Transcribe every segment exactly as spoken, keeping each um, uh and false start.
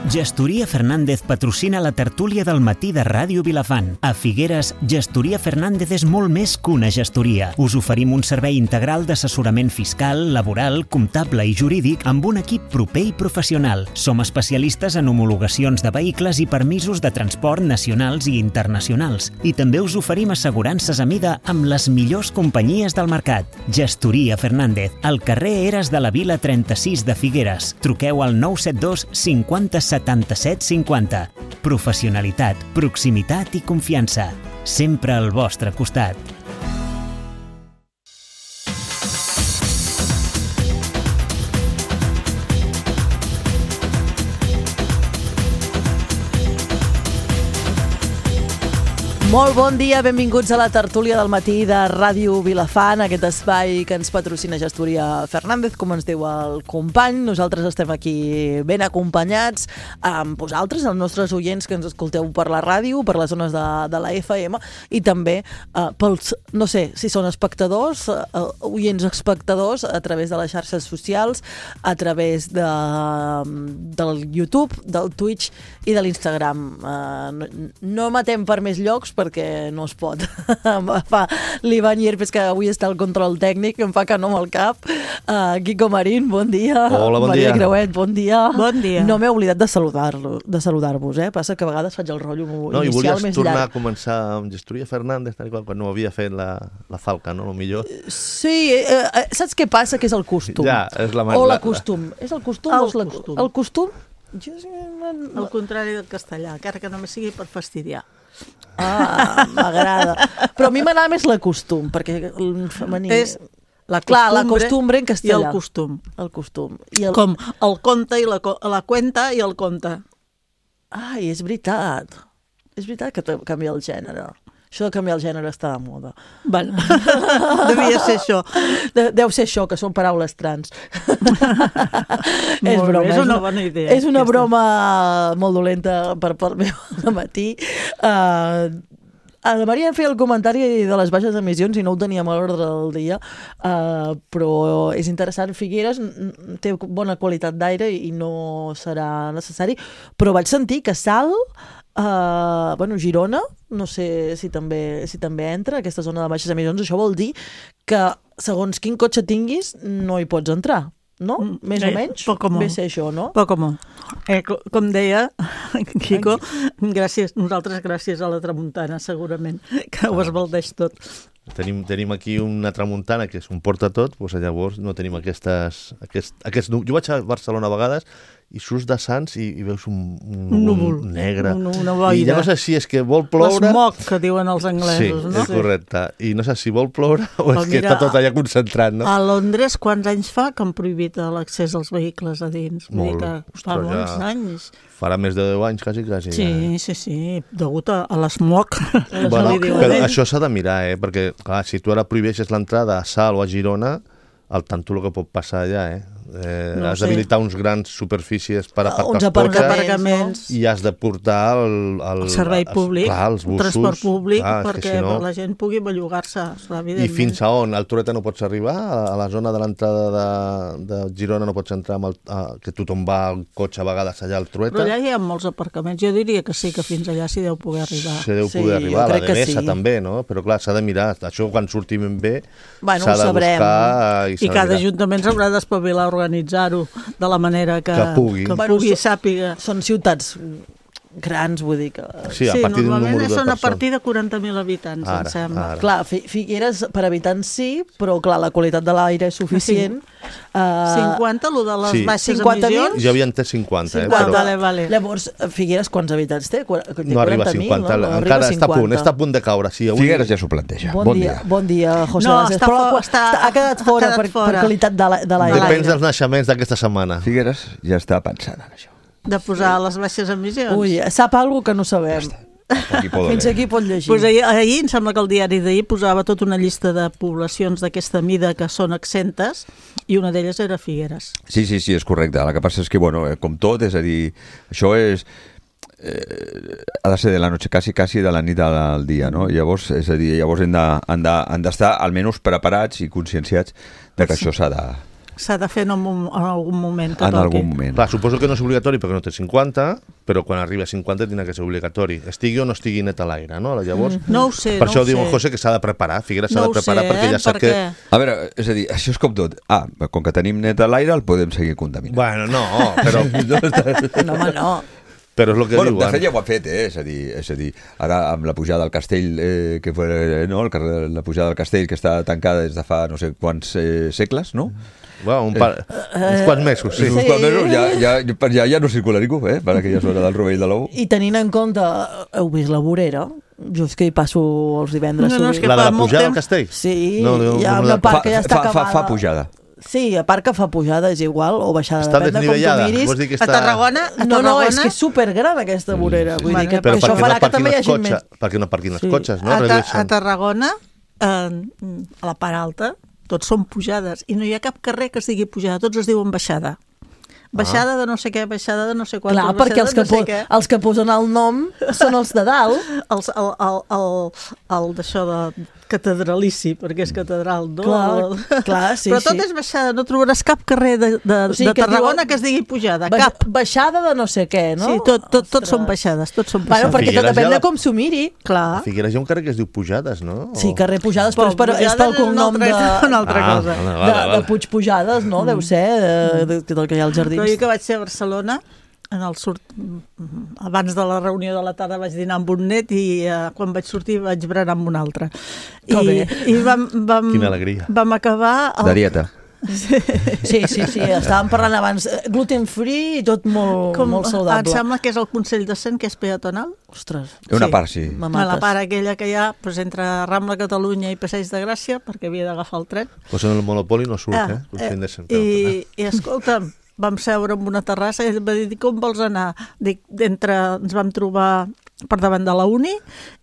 Gestoria Fernández patrocina la tertúlia del matí de Ràdio Vilafant. A Figueres, Gestoria Fernández és molt més que una gestoria. Us oferim un servei integral d'assessorament fiscal, laboral, comptable i jurídic amb un equip proper i professional. Som especialistes en homologacions de vehicles i permisos de transport nacionals i internacionals. I també us oferim assegurances a mida amb les millors companyies del mercat. Gestoria Fernández, al carrer Eres de la Vila trenta-sis de Figueres. Truqueu al nou set dos cinquanta setanta-set cinquanta. Professionalitat, proximitat i confiança. Sempre al vostre costat. Molt bon dia, benvinguts a la tertúlia del matí de Ràdio Vilafant, aquest espai que ens patrocina Gestoria Fernández, com ens diu el company. Nosaltres estem aquí ben acompanyats amb vosaltres, els nostres oients que ens escolteu per la ràdio, per les zones de, de la F M, i també eh, pels, no sé, si són espectadors, eh, oients espectadors, a través de les xarxes socials, a través de, del YouTube, del Twitch i de l'Instagram. Eh, no, no matem per més llocs, perquè no es pot. Fa l'Ivan Llerpes, que avui està al control tècnic, em fa que no amb el cap. Uh, Quico Marín, bon dia. Hola, bon Maria dia. Creuet, bon dia. Bon dia. No m'he oblidat de saludar-lo, de saludar-vos, eh? Passa que a vegades faig el rotllo no, inicial més llarg. I volies tornar a començar amb Gestoria Fernández, tal qual, quan no havia fet la, la falca, no? El millor. Sí, eh, eh, saps què passa? Que és el costum. Ja, és la O la costum. És el costum El o és la costum. El costum? Jo... Al contrari del castellà, encara que només sigui per fastidiar. Ah, m'agrada. Però a mi m'agrada més la costum, perquè el femení... És la Clar, la costumbre costumbre en i castellà. el costum. El costum. I el... Com el conte i la, co- la cuenta i el conte. Ai, és veritat. És veritat que te- canvia el gènere. Això de canviar el gènere està de moda. Bueno, devia ser això. De, deu ser això, que són paraules trans. és Molt bé, broma. és una bona idea, És una aquesta. broma molt dolenta per part meva de matí. Uh, a la Maria em feia el comentari de les baixes emissions i no ho teníem a l'ordre del dia, uh, però és interessant. Figueres n- té bona qualitat d'aire i no serà necessari, però vaig sentir que Salt, uh, bueno, Girona, no sé si també, si també entra aquesta zona de baixes emissions. Això vol dir que segons quin cotxe tinguis no hi pots entrar, no? Mm, Més eh, o menys? poc o molt. Ve a ser això, no? Poc o molt. Eh, co- com deia Quico, gràcies, nosaltres gràcies a la tramuntana, segurament, que ho esbaldeix tot. Tenim, tenim aquí una tramuntana que és un porta tot, doncs llavors no tenim aquestes... Aquest, aquest, jo vaig a Barcelona a vegades i surts de Sants i, i veus un, un, Un núvol, un negre. un- una boira. I ja no sé si és que vol ploure... L'esmoc, que diuen els Sí, anglesos, no? és correcte. I no sé si vol ploure o Però és que mira, està tot allà concentrat, no? A Londres, quants anys fa que han prohibit l'accés als vehicles a dins? Vull dir Molt. que fa Ostres, molts ja. anys. Farà més de deu anys, quasi, quasi. Sí, ja. sí, sí, degut a, a l'esmoc. Bueno, li diuen però ells. això s'ha de mirar, eh? Perquè, clar, si tu ara prohibeixes l'entrada a Salt o a Girona, el tanto el que pot passar allà, eh? eh No has sé. d'habilitar uns grans superfícies per Uns aparcar els aparcaments, cotxes aparcaments. i has de portar el, el, El servei els- públic, clar, els el bussos, transport públic, clar, és que perquè si no... la gent pugui bellugar-se, I evidentment. fins a on? Al Toreta no pots arribar? A a la zona de l'entrada de, de Girona no pots entrar amb el, a, que tothom va al cotxe a vegades allà al Trueta? Però allà hi ha molts aparcaments. Jo diria que sí, que fins allà s'hi deu poder arribar. Se deu Sí, poder arribar, jo la crec que Devesa sí. també, no? Però clar, s'ha de mirar. Això quan sortim bé Bueno, s'ha ho de sabrem. buscar i I s'ha de cada mirar. ajuntament s'haurà d'espavilar a organitzar-ho de la manera que, Que pugui. que Bueno, pugui so- sàpiga. Són ciutats grans, vull dir que... Sí, a partir d'un normalment número de són a persones. partir de quaranta mil habitants, Ara, em sembla. ara. Clar, Fi- Figueres per habitants sí, però clar, la qualitat de l'aire és suficient. Uh, cinquanta, lo de les Sí. baixes cinquanta mil? emissions? Jo havia entès cinquanta, eh? cinquanta, Però vale, vale. Llavors, Figueres quants habitants té? Qua- té no arriba a quaranta mil, cinquanta. no? No arriba Encara a està a punt, cinquanta. està a punt de caure. Sí, avui... Figueres ja s'ho planteja. Bon, Bon dia, dia. bon dia, José No, Lances. està Però fo- està- ha quedat fora, ha quedat per, fora. per qualitat de la- de l'aire. Depèn dels naixements d'aquesta setmana. Figueres ja està pensant en això. De posar les baixes emissions? Ui, sap alguna que no sabem. Aquí poden Fins aquí pot llegir. Pues ahir, ahir, em sembla que el diari d'ahir posava tota una llista de poblacions d'aquesta mida que són exentes i una d'elles era Figueres. Sí, sí, sí, és correcte. El que passa és que, bueno, eh, com tot, és a dir, això és... Eh, ha de ser de la noche quasi, quasi de la nit al dia, no? Llavors, és a dir, llavors hem de- han de- han d'estar almenys preparats i conscienciats de que això s'ha de... s'ha de fer en, un, en algun moment. Que En toqui. algun moment. Clar, suposo que no és obligatori perquè no té cinquanta, però quan arriba a cinquanta tindrà que ser obligatori. Estigui o no estigui net a l'aire, no? Llavors, No ho sé, per no això ho diu sé. en José que s'ha de preparar. Figueres s'ha No de ho preparar sé, perquè ja eh? sap perquè... que... A veure, és a dir, això és com tot. Ah, com que tenim net a l'aire, el podem seguir contaminant. Bueno, no, però, No, home, no. però és el que Bueno, diuen. de fet ja ho ha fet, eh? És a dir, és a dir ara amb la pujada del castell, eh, que fue, eh, no? El carrer, la pujada del castell que està tancada des de fa no sé quants eh, segles, no? Bueno, un par... uns quants mesos, sí. Uns quants mesos ja, ja, ja, ja no circula ningú, eh? Per aquella zona del Rovell de l'Ou. I tenint en compte, heu vist la vorera? Jo és que hi passo els divendres. No, no, és sovint. que La de fa la molt pujada al temps- castell? Sí, No, no, hi ha no, una no, part Fa, que ja està fa, fa, acabada. fa pujada. Sí, a part que fa pujada, és igual, o baixada, Està depèn de com tu desnivellada. miris. Vols dir que A està... Tarragona, a No, no, és Tarragona... que és supergran aquesta vorera. Vull dir Bueno, que, Però que això perquè farà no que aparquin també hi els hagi cotxes, més... perquè no aparquin els Sí. cotxes, no? a, ta a Redueixen. Tarragona, eh, a la part alta, tots són pujades, i no hi ha cap carrer que es digui pujada, tots es diuen baixada. Baixada de no sé què, baixada de no sé quantos, Clar, perquè els que, baixada de no po sé què. els que posen el nom són els de dalt. Els, el, el, el, el d'això de catedralici, perquè és catedral, no? Clar, El- clar, sí, Però tot sí. és baixada, no trobaràs cap carrer de, de, O sigui de que Tarragona diuen- que es digui pujada, Ba cap. Baixada de no sé què, no? Sí, tot, tot, tots Ostres. són baixades, tots són Bueno, baixades. perquè tot Figueres depèn ja de la- com s'ho miri. A Clar. Figueres hi ha un carrer que es diu Pujades, no? Sí, O- carrer Pujades, però és, per, és Pujades pel és una cognom de, altra- una altra Ah, cosa. vale, de, vale, de vale. Puig Pujades, no? Deu ser, de, de, del que hi ha als jardins. Però jo que vaig ser a Barcelona, en el sort... abans de la reunió de la tarda vaig dinar amb un net i eh, quan vaig sortir vaig berenar amb un altre. Que I, bé. i vam, vam, Quina alegria. vam acabar... De dieta. Sí, sí, sí, estàvem parlant abans. eh, Gluten free i tot molt, Com, molt em saludable. sembla que és el Consell de Cent, que és peatonal. Ostres, Una Sí. part, sí. me A mates. la part aquella que hi ha doncs, entre Rambla Catalunya i Passeig de Gràcia, perquè havia d'agafar el tren. Pues en el Monopoli no surt, Ah, eh? Consell de Cent. I, i escolta'm, vam seure en una terrassa i ell va dir, com vols anar? Dic, entre, ens vam trobar per davant de la Uni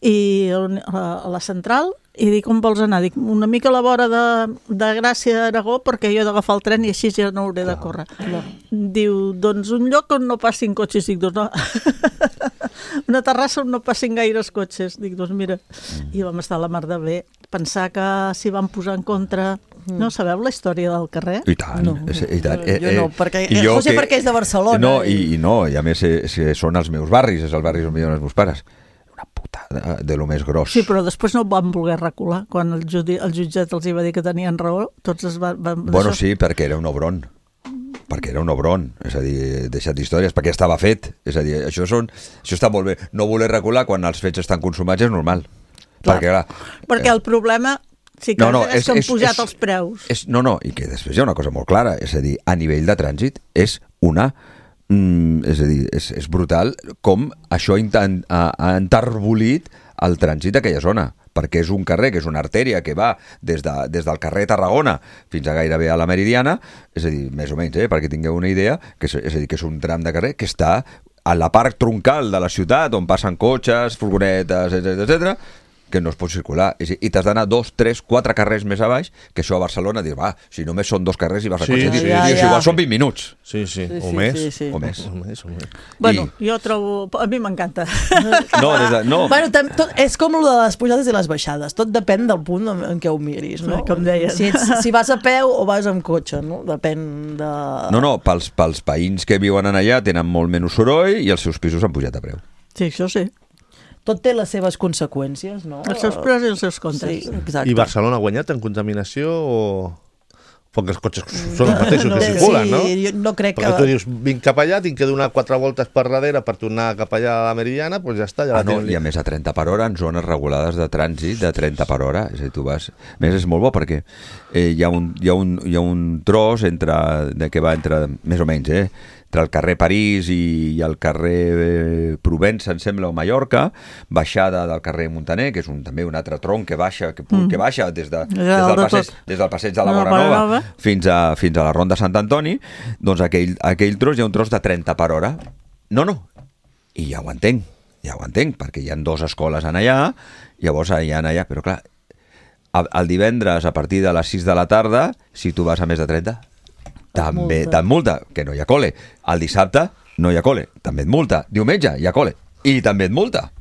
i a la, a la central i dic, on vols anar? Dic, una mica a la vora de, de Gràcia d'Aragó perquè jo he d'agafar el tren i així ja no hauré de córrer. Diu, doncs un lloc on no passin cotxes. Dic, doncs no. Una terrassa on no passin gaires cotxes. Dic, doncs mira, i vam estar a la mar de bé. Pensar que s'hi van posar en contra... No sabeu la història del carrer? I tant, No. és- i tant. Jo no, perquè- i eh, jo José perquè és de Barcelona, No, i- i, i no, i a més eh, eh, són els meus barris, és el barri on viuen els meus pares. Una putada de lo més gros. Sí, però després no van voler recular. Quan el, judi, el jutjat els hi va dir que tenien raó, tots es van... van Bueno, d'això- sí, perquè era un obron. Perquè era un obron, és a dir, deixat d'històries, perquè estava fet. És a dir, això, són, això està molt bé. No voler recular quan els fets estan consumats és normal. Clar. Perquè, clar, Perquè el problema sí que No, no, és, és- que han és- pujat és- els preus. És, no, no, i que després hi ha una cosa molt clara, és a dir, a nivell de trànsit és una... Mm, és a dir, és, és brutal com això inten, ha, ha enterbolit el trànsit d'aquella zona, perquè és un carrer, que és una artèria que va des, de, des del carrer Tarragona fins a gairebé a la Meridiana, és a dir, més o menys, eh, perquè tingueu una idea, que és, és a dir, que és un tram de carrer que està a la part troncal de la ciutat, on passen cotxes, furgonetes, etcètera, etcètera, que no es pot circular. És a dir, I t'has d'anar dos, tres, quatre carrers més a baix, que això a Barcelona dius, va, si només són dos carrers i vas a Sí, cotxe, sí, dius, ja, dius, ja. igual són vint minuts. Sí, sí, Sí, o sí, més. sí, sí. O més. O més, o més. Bueno, I- jo trobo... A mi m'encanta. No, des de, no. Bueno, tam, tot, és com el de les pujades i les baixades. Tot depèn del punt en, en què ho miris, no? Com deien. Si, ets, si vas a peu o vas amb cotxe, no? Depèn de... No, no, pels, pels veïns que viuen en allà tenen molt menys soroll i els seus pisos han pujat a preu. Sí, això sí. Tot té les seves conseqüències, no? Els seus pros i els seus contres. Sí, exacte. I Barcelona ha guanyat en contaminació o... Perquè els cotxes són els mateixos no, que circulen, no? Sí, jo no crec Perquè que... tu dius, vinc cap allà, tinc que donar quatre voltes per darrere per tornar cap allà a la Meridiana, doncs ja està, ja Ah, la no, tenen. i a més a trenta per hora en zones regulades de trànsit de trenta per hora, és a dir, tu vas... A més, és molt bo perquè eh, hi, ha un, hi, ha un, hi ha un tros entre, de que va entre, més o menys, eh, entre el carrer París i, i el carrer eh, Provença, em sembla, o Mallorca, baixada del carrer Montaner, que és un, també un altre tronc que baixa, que, mm. que baixa des, de, des, Ja, del de passeig, tot. des del passeig de la De la Vora Nova Vora Nova. fins a, fins a la Ronda Sant Antoni, doncs aquell, aquell tros hi ha un tros de trenta per hora. No, no, i ja ho entenc, ja ho entenc, perquè hi ha dues escoles en allà, llavors hi ha allà, però clar, el, el divendres a partir de les sis de la tarda, si tu vas a més de trenta, també multa. te'n multa, que no hi ha cole. El dissabte no hi ha cole, també et multa. Diumenge hi ha cole i també et multa.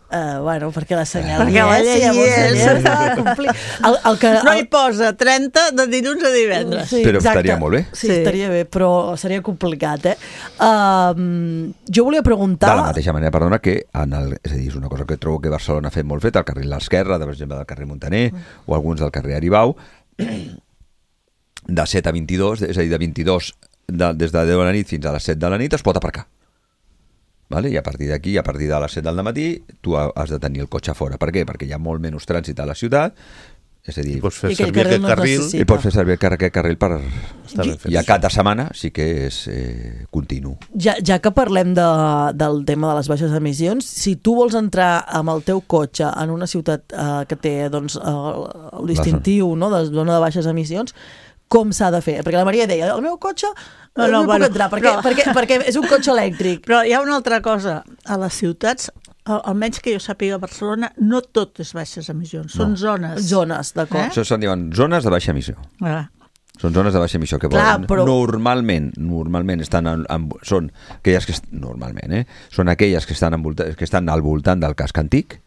Uh, bueno, perquè la senyal Perquè la hi és, llei llavors hi és. la llei s'ha de complir. El, el que, No el, hi posa trenta de dilluns a divendres. Sí, Però exacte. estaria molt bé. Sí, Sí. estaria bé, però seria complicat, eh? Uh, jo volia preguntar... De la mateixa manera, perdona, que en el, és a dir, és una cosa que trobo que Barcelona ha fet molt fet, el carril a l'esquerra, per exemple, del carrer Montaner, mm. o alguns del carrer Aribau, de set a vint-i-dos, és a dir, de vint-i-dos, de, des de deu de la nit fins a les set de la nit, es pot aparcar. Vale? I a partir d'aquí, a partir de les set del matí, tu has de tenir el cotxe fora. Per què? Perquè hi ha molt menys trànsit a la ciutat, és a dir, I pots fer I aquell servir carril aquest no es carril... necessita. i pots fer servir aquest carril per... Està ben fet. I a cada setmana sí que és eh, continu. Ja, ja que parlem de, del tema de les baixes emissions, si tu vols entrar amb el teu cotxe en una ciutat eh, que té doncs, el, el distintiu no, de zona de baixes emissions, com s'ha de fer? Perquè la Maria deia, el meu cotxe no, no, no hi bueno, puc entrar, perquè, però- perquè, perquè és un cotxe elèctric. Però hi ha una altra cosa. A les ciutats, al- almenys que jo sàpiga a Barcelona, no tot és baixes emissions, són No. zones. Zones, d'acord. Eh? Això se'n diuen zones de baixa emissió. Ah. Són zones de baixa emissió que Clar, volen. però- Normalment, normalment estan en, en, són aquelles que est- normalment, eh, són aquelles que estan, envolta, que estan al voltant del casc antic.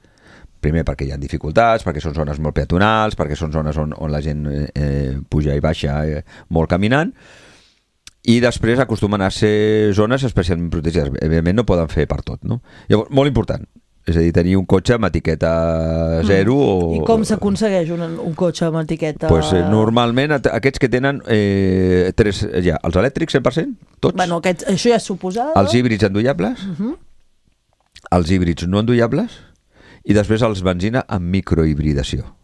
Primer perquè hi ha dificultats, perquè són zones molt peatonals, perquè són zones on, on la gent eh, puja i baixa eh, molt caminant, i després acostumen a ser zones especialment protegides. Evidentment no poden fer per tot, no? Llavors, molt important, és a dir, tenir un cotxe amb etiqueta zero o... I com s'aconsegueix un, un cotxe amb etiqueta? Pues, eh, normalment at- aquests que tenen eh, tres, ja, els elèctrics cent per cent, tots, Bueno, aquest, això ja és suposada. els híbrids endollables, Uh -huh. els híbrids no endollables, i després els benzina amb microhibridació.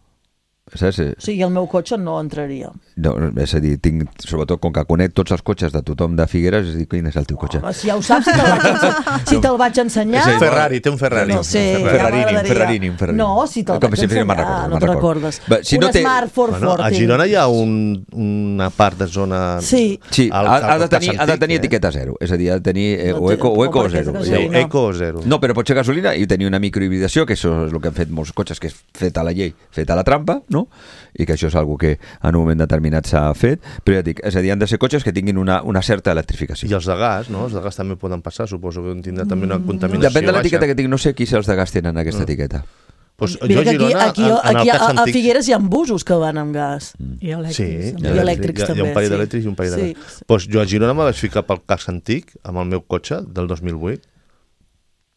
Saps? O sigui, el meu cotxe no entraria. No, és a dir, tinc, sobretot com que conec tots els cotxes de tothom de Figueres, és a dir, quin és el teu cotxe? Home, si ja ho saps, si te'l vaig, ense- si te'l vaig ensenyar... És a dir, Ferrari, té un Ferrari. No sé, Un ja Ferrarini, un m'agradaria. Ferrarini, un Ferrarini. No, si te'l Com vaig si sempre ensenyar, me'n recordo, no me'n te'n recordo. recordes. Va, si un no té- Smart Ford Bueno, a Forting. Girona hi ha un, una part de zona... Sí. Sí, al- ha, al ha, de cas tenir, ha de antic, tenir eh? etiqueta zero, és a dir, ha de tenir eh, No o té- eco, o com eco perquè és zero. de Sí, És a dir, gasolina. eco zero. No, però pot ser gasolina i tenir una microhibridació, que això és el que han fet molts cotxes, que és fet a la llei, fet a la trampa, no? I que això és algo que en un moment determinat s'ha fet, però ja dic, és a dir, han de ser cotxes que tinguin una, una certa electrificació. I els de gas, no? Els de gas també poden passar, suposo que tindrà també una contaminació Depèn de l'etiqueta baixa. que tinc, no sé qui els de gas tenen aquesta etiqueta. Pues, Mira jo a que aquí, Girona, aquí, en, en aquí el cas a, a antic... Figueres hi ha busos que van amb gas. I elèctrics. Sí, també. I elèctrics hi ha, també, hi ha un parell sí. d'elèctrics i un parell de Sí. gas. Pues jo a Girona me vaig ficar pel cas antic amb el meu cotxe del dos mil vuit.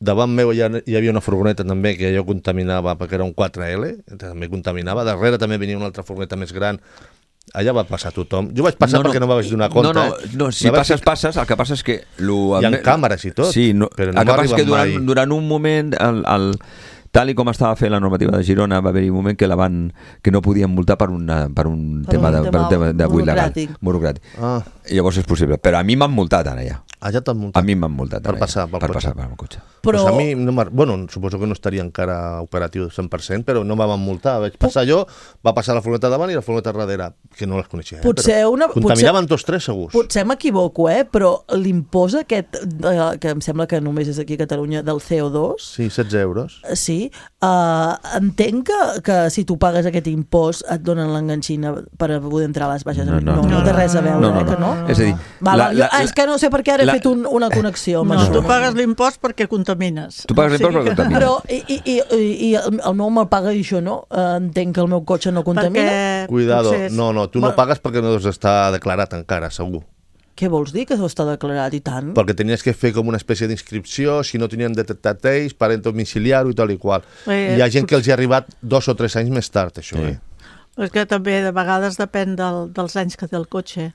Davant meu hi, ha, hi havia una furgoneta també que jo contaminava perquè era un quatre L, també contaminava. Darrere també venia una altra furgoneta més gran. Allà va passar tothom. Jo vaig passar perquè no me vaig donar compte. No, no, eh? no si Me vaig passes, ficar- passes, el que passa és que... Lo, Hi ha càmeres i tot, sí, no, però no el que passa és que m'arriben durant, mai. durant un moment, el, el, tal i com estava fent la normativa de Girona, va haver-hi un moment que la van que no podien multar per, una, per un Per tema un de, tema per un tema de buit legal. burocràtic. Burocràtic. Ah, I llavors és possible. Però a mi m'han multat ara ja. allà t'han A muntat. mi m'han multat Per ara passar ja. pel per cotxe. passar pel cotxe. Però Pues a mi, no m'ha- bueno, suposo que no estaria encara operatiu al cent per cent, però no me van multar. Vaig passar jo, va passar la furgoneta davant i la furgoneta darrere, que no les coneixia. Eh? Potser però una- Contaminaven tots tres segurs. potser m'equivoco, eh? Però l'impost aquest, eh, que em sembla que només és aquí a Catalunya, del C O dos, Sí, setze euros. eh, sí, eh, entenc que, que si tu pagues aquest impost et donen l'enganxina per poder entrar a les baixes. No, no, no, no no, té res a veure, no, no, eh, que no? no. És a dir, Va, la- va, jo, la- ah, és que no sé per què ara la- he fet un, una connexió amb No, això. tu pagues l'impost perquè contamines. Tu pagues O sigui l'impost perquè que- contamines. Però, i, i, i, i el el meu me'l paga i això no? Eh, entenc que el meu cotxe no contamina? Perquè Cuidado, potser és- no, no, tu no Bueno. pagues perquè no està declarat encara, segur. Què vols dir, que això està declarat i tant? Perquè tenies que fer com una espècie d'inscripció, si no tenien detectat ells, parent domiciliari i tal i qual. Eh, Hi ha gent que els hi ha arribat dos o tres anys més tard, això, Sí. eh? És que també de vegades depèn del, dels anys que té el cotxe.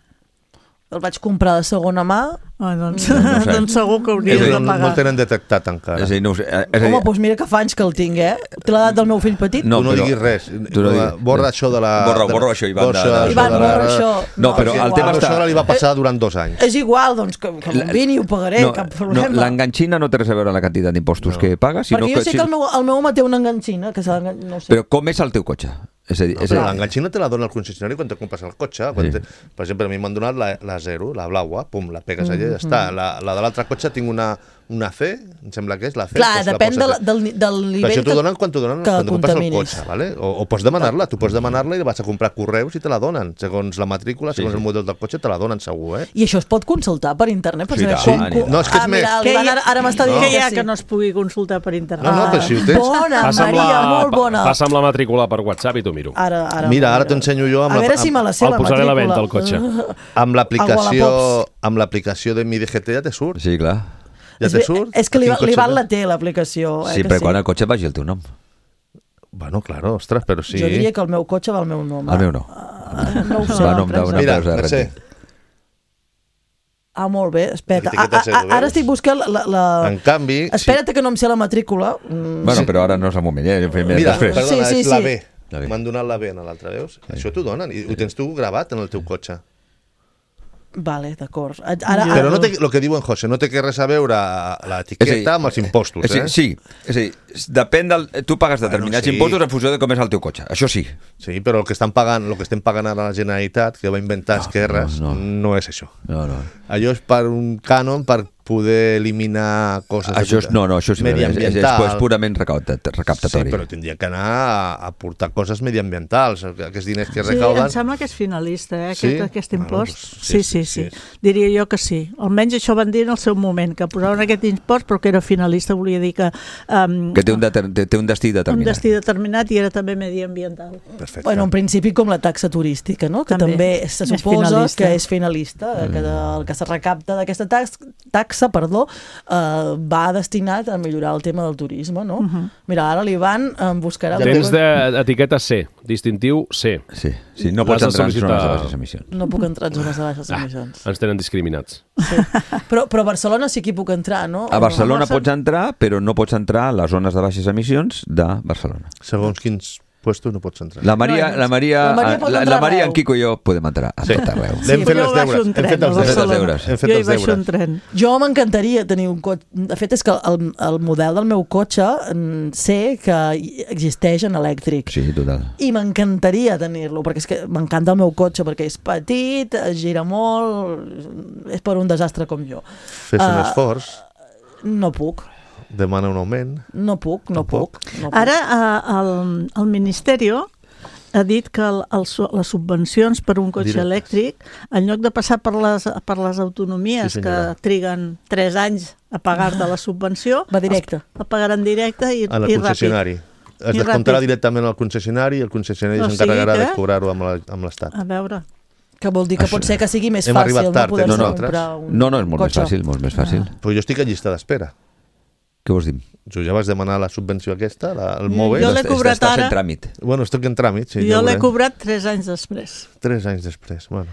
El vaig comprar de segona mà. Oh, doncs, No, no ho sé. doncs segur que hauries Ells de no, no pagar. el tenen detectat encara. És a dir, no ho sé. És a dir, Home, doncs mira que fa anys que el tinc, eh? Té l'edat del meu fill petit? No, tu no però- diguis res. tu no diguis- Borra això de la... Borra- de la- borra això, Ivan, de- borra de- això Ivan, de la- borra això. No, però és el tema A la està- sogra li va passar durant dos anys. És igual, doncs, que, que me'n vini i ho pagaré, no, cap no, problema. l'enganxina no té res a veure amb la quantitat d'impostos No. que pagues, sinó Perquè jo sé si- que el meu, el meu home té una enganxina, que s'ha d'engan- no sé. Però com és el teu cotxe? És a dir, No, és a però dir, l'enganxina te la dona el concessionari quan te compres el cotxe. Quan Sí. te, per exemple, a mi m'han donat la, la zero, la blaua, pum, la pegues allà i Mm-hmm. ja està. La, la de l'altre cotxe tinc una, una C, em sembla que és la C. Clar, doncs la depèn poses- del, del, del Però nivell això t'ho donen quan t'ho donen que quan tu compres el contaminis. cotxe, ¿vale? O, o pots demanar-la, tu pots demanar-la i la vas a comprar a correus i te la donen. Segons la matrícula, segons Sí, sí. el model del cotxe, te la donen segur, eh? I això es pot consultar per internet? Per Sí, saber tant. com, com... No, és que és ah, més- mira, Què l'Ivan hi ha- ara, ara m'està dient Què hi ha que sí. que no es pugui consultar per internet? No, no, però si ho tens... Bona, Passa amb, Maria, la, molt bona. passa amb la matrícula per WhatsApp i t'ho miro. Ara, ara, Mira, ara t'ensenyo jo amb a la- veure si me la sé, El la posaré a la matrícula. venda, el cotxe. Amb l'aplicació Wallapop. amb l'aplicació de Mi D G T ja te surt. Sí, clar. Ja És, te bé, surt. és que A quin l'Ivan cotxe l'Ivan vas? la té, l'aplicació. Eh, Sí, que però quan el cotxe vagi el teu nom. Bueno, claro, ostres, però sí. Jo diria que el meu cotxe va al meu nom. El meu no. Ah, no ho sé. Va a nom d'una Mira, empresa de Mercè, renting. Ah, molt bé, espera. L'etiqueta A, C, a, ho a, ara veus? estic buscant la... la, la... en canvi... Espera't que no em sé la matrícula. Mm, Bueno, però ara no és el moment, eh? Fem Mira, després. perdona, Sí, sí, és la sí. B. La B. M'han donat la B en l'altra, veus? Això t'ho donen i ho tens tu gravat en el teu cotxe. Vale, d'acord. Ara, Però ara, no té, el que diuen José, no té que res a veure l'etiqueta amb els impostos, és a eh? dir, sí, és a dir, depèn del... Tu pagues determinats sí. impostos en funció de com és el teu cotxe. Això sí. Sí, però el que estan pagant, el que estem pagant ara a la Generalitat, que va inventar Esquerres, no, no, no. no és això. No, no. Allò és per un cànon per poder eliminar coses... Això és, no, no, això sí, és, és, és, mediambiental. purament recaptat- Sí, recaptatori. però tindria que anar a, a portar coses mediambientals, aquests diners que Sí, recauden... em sembla que és finalista, eh, Sí? aquest, aquest Bueno, impost. doncs, sí, sí, sí, sí, sí, sí. Diria jo que sí. Almenys això van dir en el seu moment, que posaven aquest impost però que era finalista, volia dir que... Um, Que té un, deter, té, té un destí un determinat. destí determinat i era també mediambiental. Perfecte. Bueno, en principi com la taxa turística, no? Que també, També. se És suposa finalista. que és finalista, que de, el que se recapta d'aquesta tax, taxa perdó, eh, va destinat a millorar el tema del turisme, no? Mhm. Mira, ara l'Ivan em buscarà... el Tens teu- d'etiqueta C, distintiu C. Sí, sí, no L'has pots de entrar en sol·licitar- zones de baixes emissions. No puc entrar en zones de baixes emissions. Ens tenen discriminats. Sí. Però, però a Barcelona sí que hi puc entrar, no? A Barcelona A Barcelona- pots entrar, però no pots entrar a les zones de baixes emissions de Barcelona. Segons quins puestos no pots entrar. La Maria, No, la Maria, la Maria pot la, entrar la Maria arreu. en Quico i jo podem entrar a Sí. tot arreu. L'hem fet jo els baixo deures, un hem tren fet els a deures. Barcelona. Hem fet Jo hi els baixo deures. un tren. Jo m'encantaria tenir un cotxe. De fet, és que el, el model del meu cotxe mm, sé que existeix en elèctric. Sí, total. I m'encantaria tenir-lo, perquè és que m'encanta el meu cotxe, perquè és petit, es gira molt, és per un desastre com jo. Fes un Ah, esforç, No puc, demana un augment. no puc, no Tampoc. puc. No puc. Ara eh, el, el Ministerio ha dit que el, el, su- les subvencions per un cotxe Directes. elèctric, en lloc de passar per les, per les autonomies Sí, que senyora. triguen tres anys a pagar-te la subvenció, Va directe. els- el pagaran directe i, A la i ràpid. concessionari. Es I descomptarà ràpid. directament al concessionari i el concessionari O s'encarregarà sigui de que- cobrar-ho amb la- amb l'Estat. A veure, Que vol dir que Això- pot ser que sigui més Hem fàcil arribat no tard, poder-se eh, nosaltres. comprar un No, no, és molt cotxe. més fàcil, molt més fàcil. Però jo estic a llista d'espera. Què vols dir? Jo ja vaig demanar la subvenció aquesta, la, el MOVE. Jo l'he Estàs- cobrat estàs ara. en tràmit. Bueno, estic en tràmit, sí. jo ja l'he veurem. cobrat tres anys després. Tres anys després, bueno.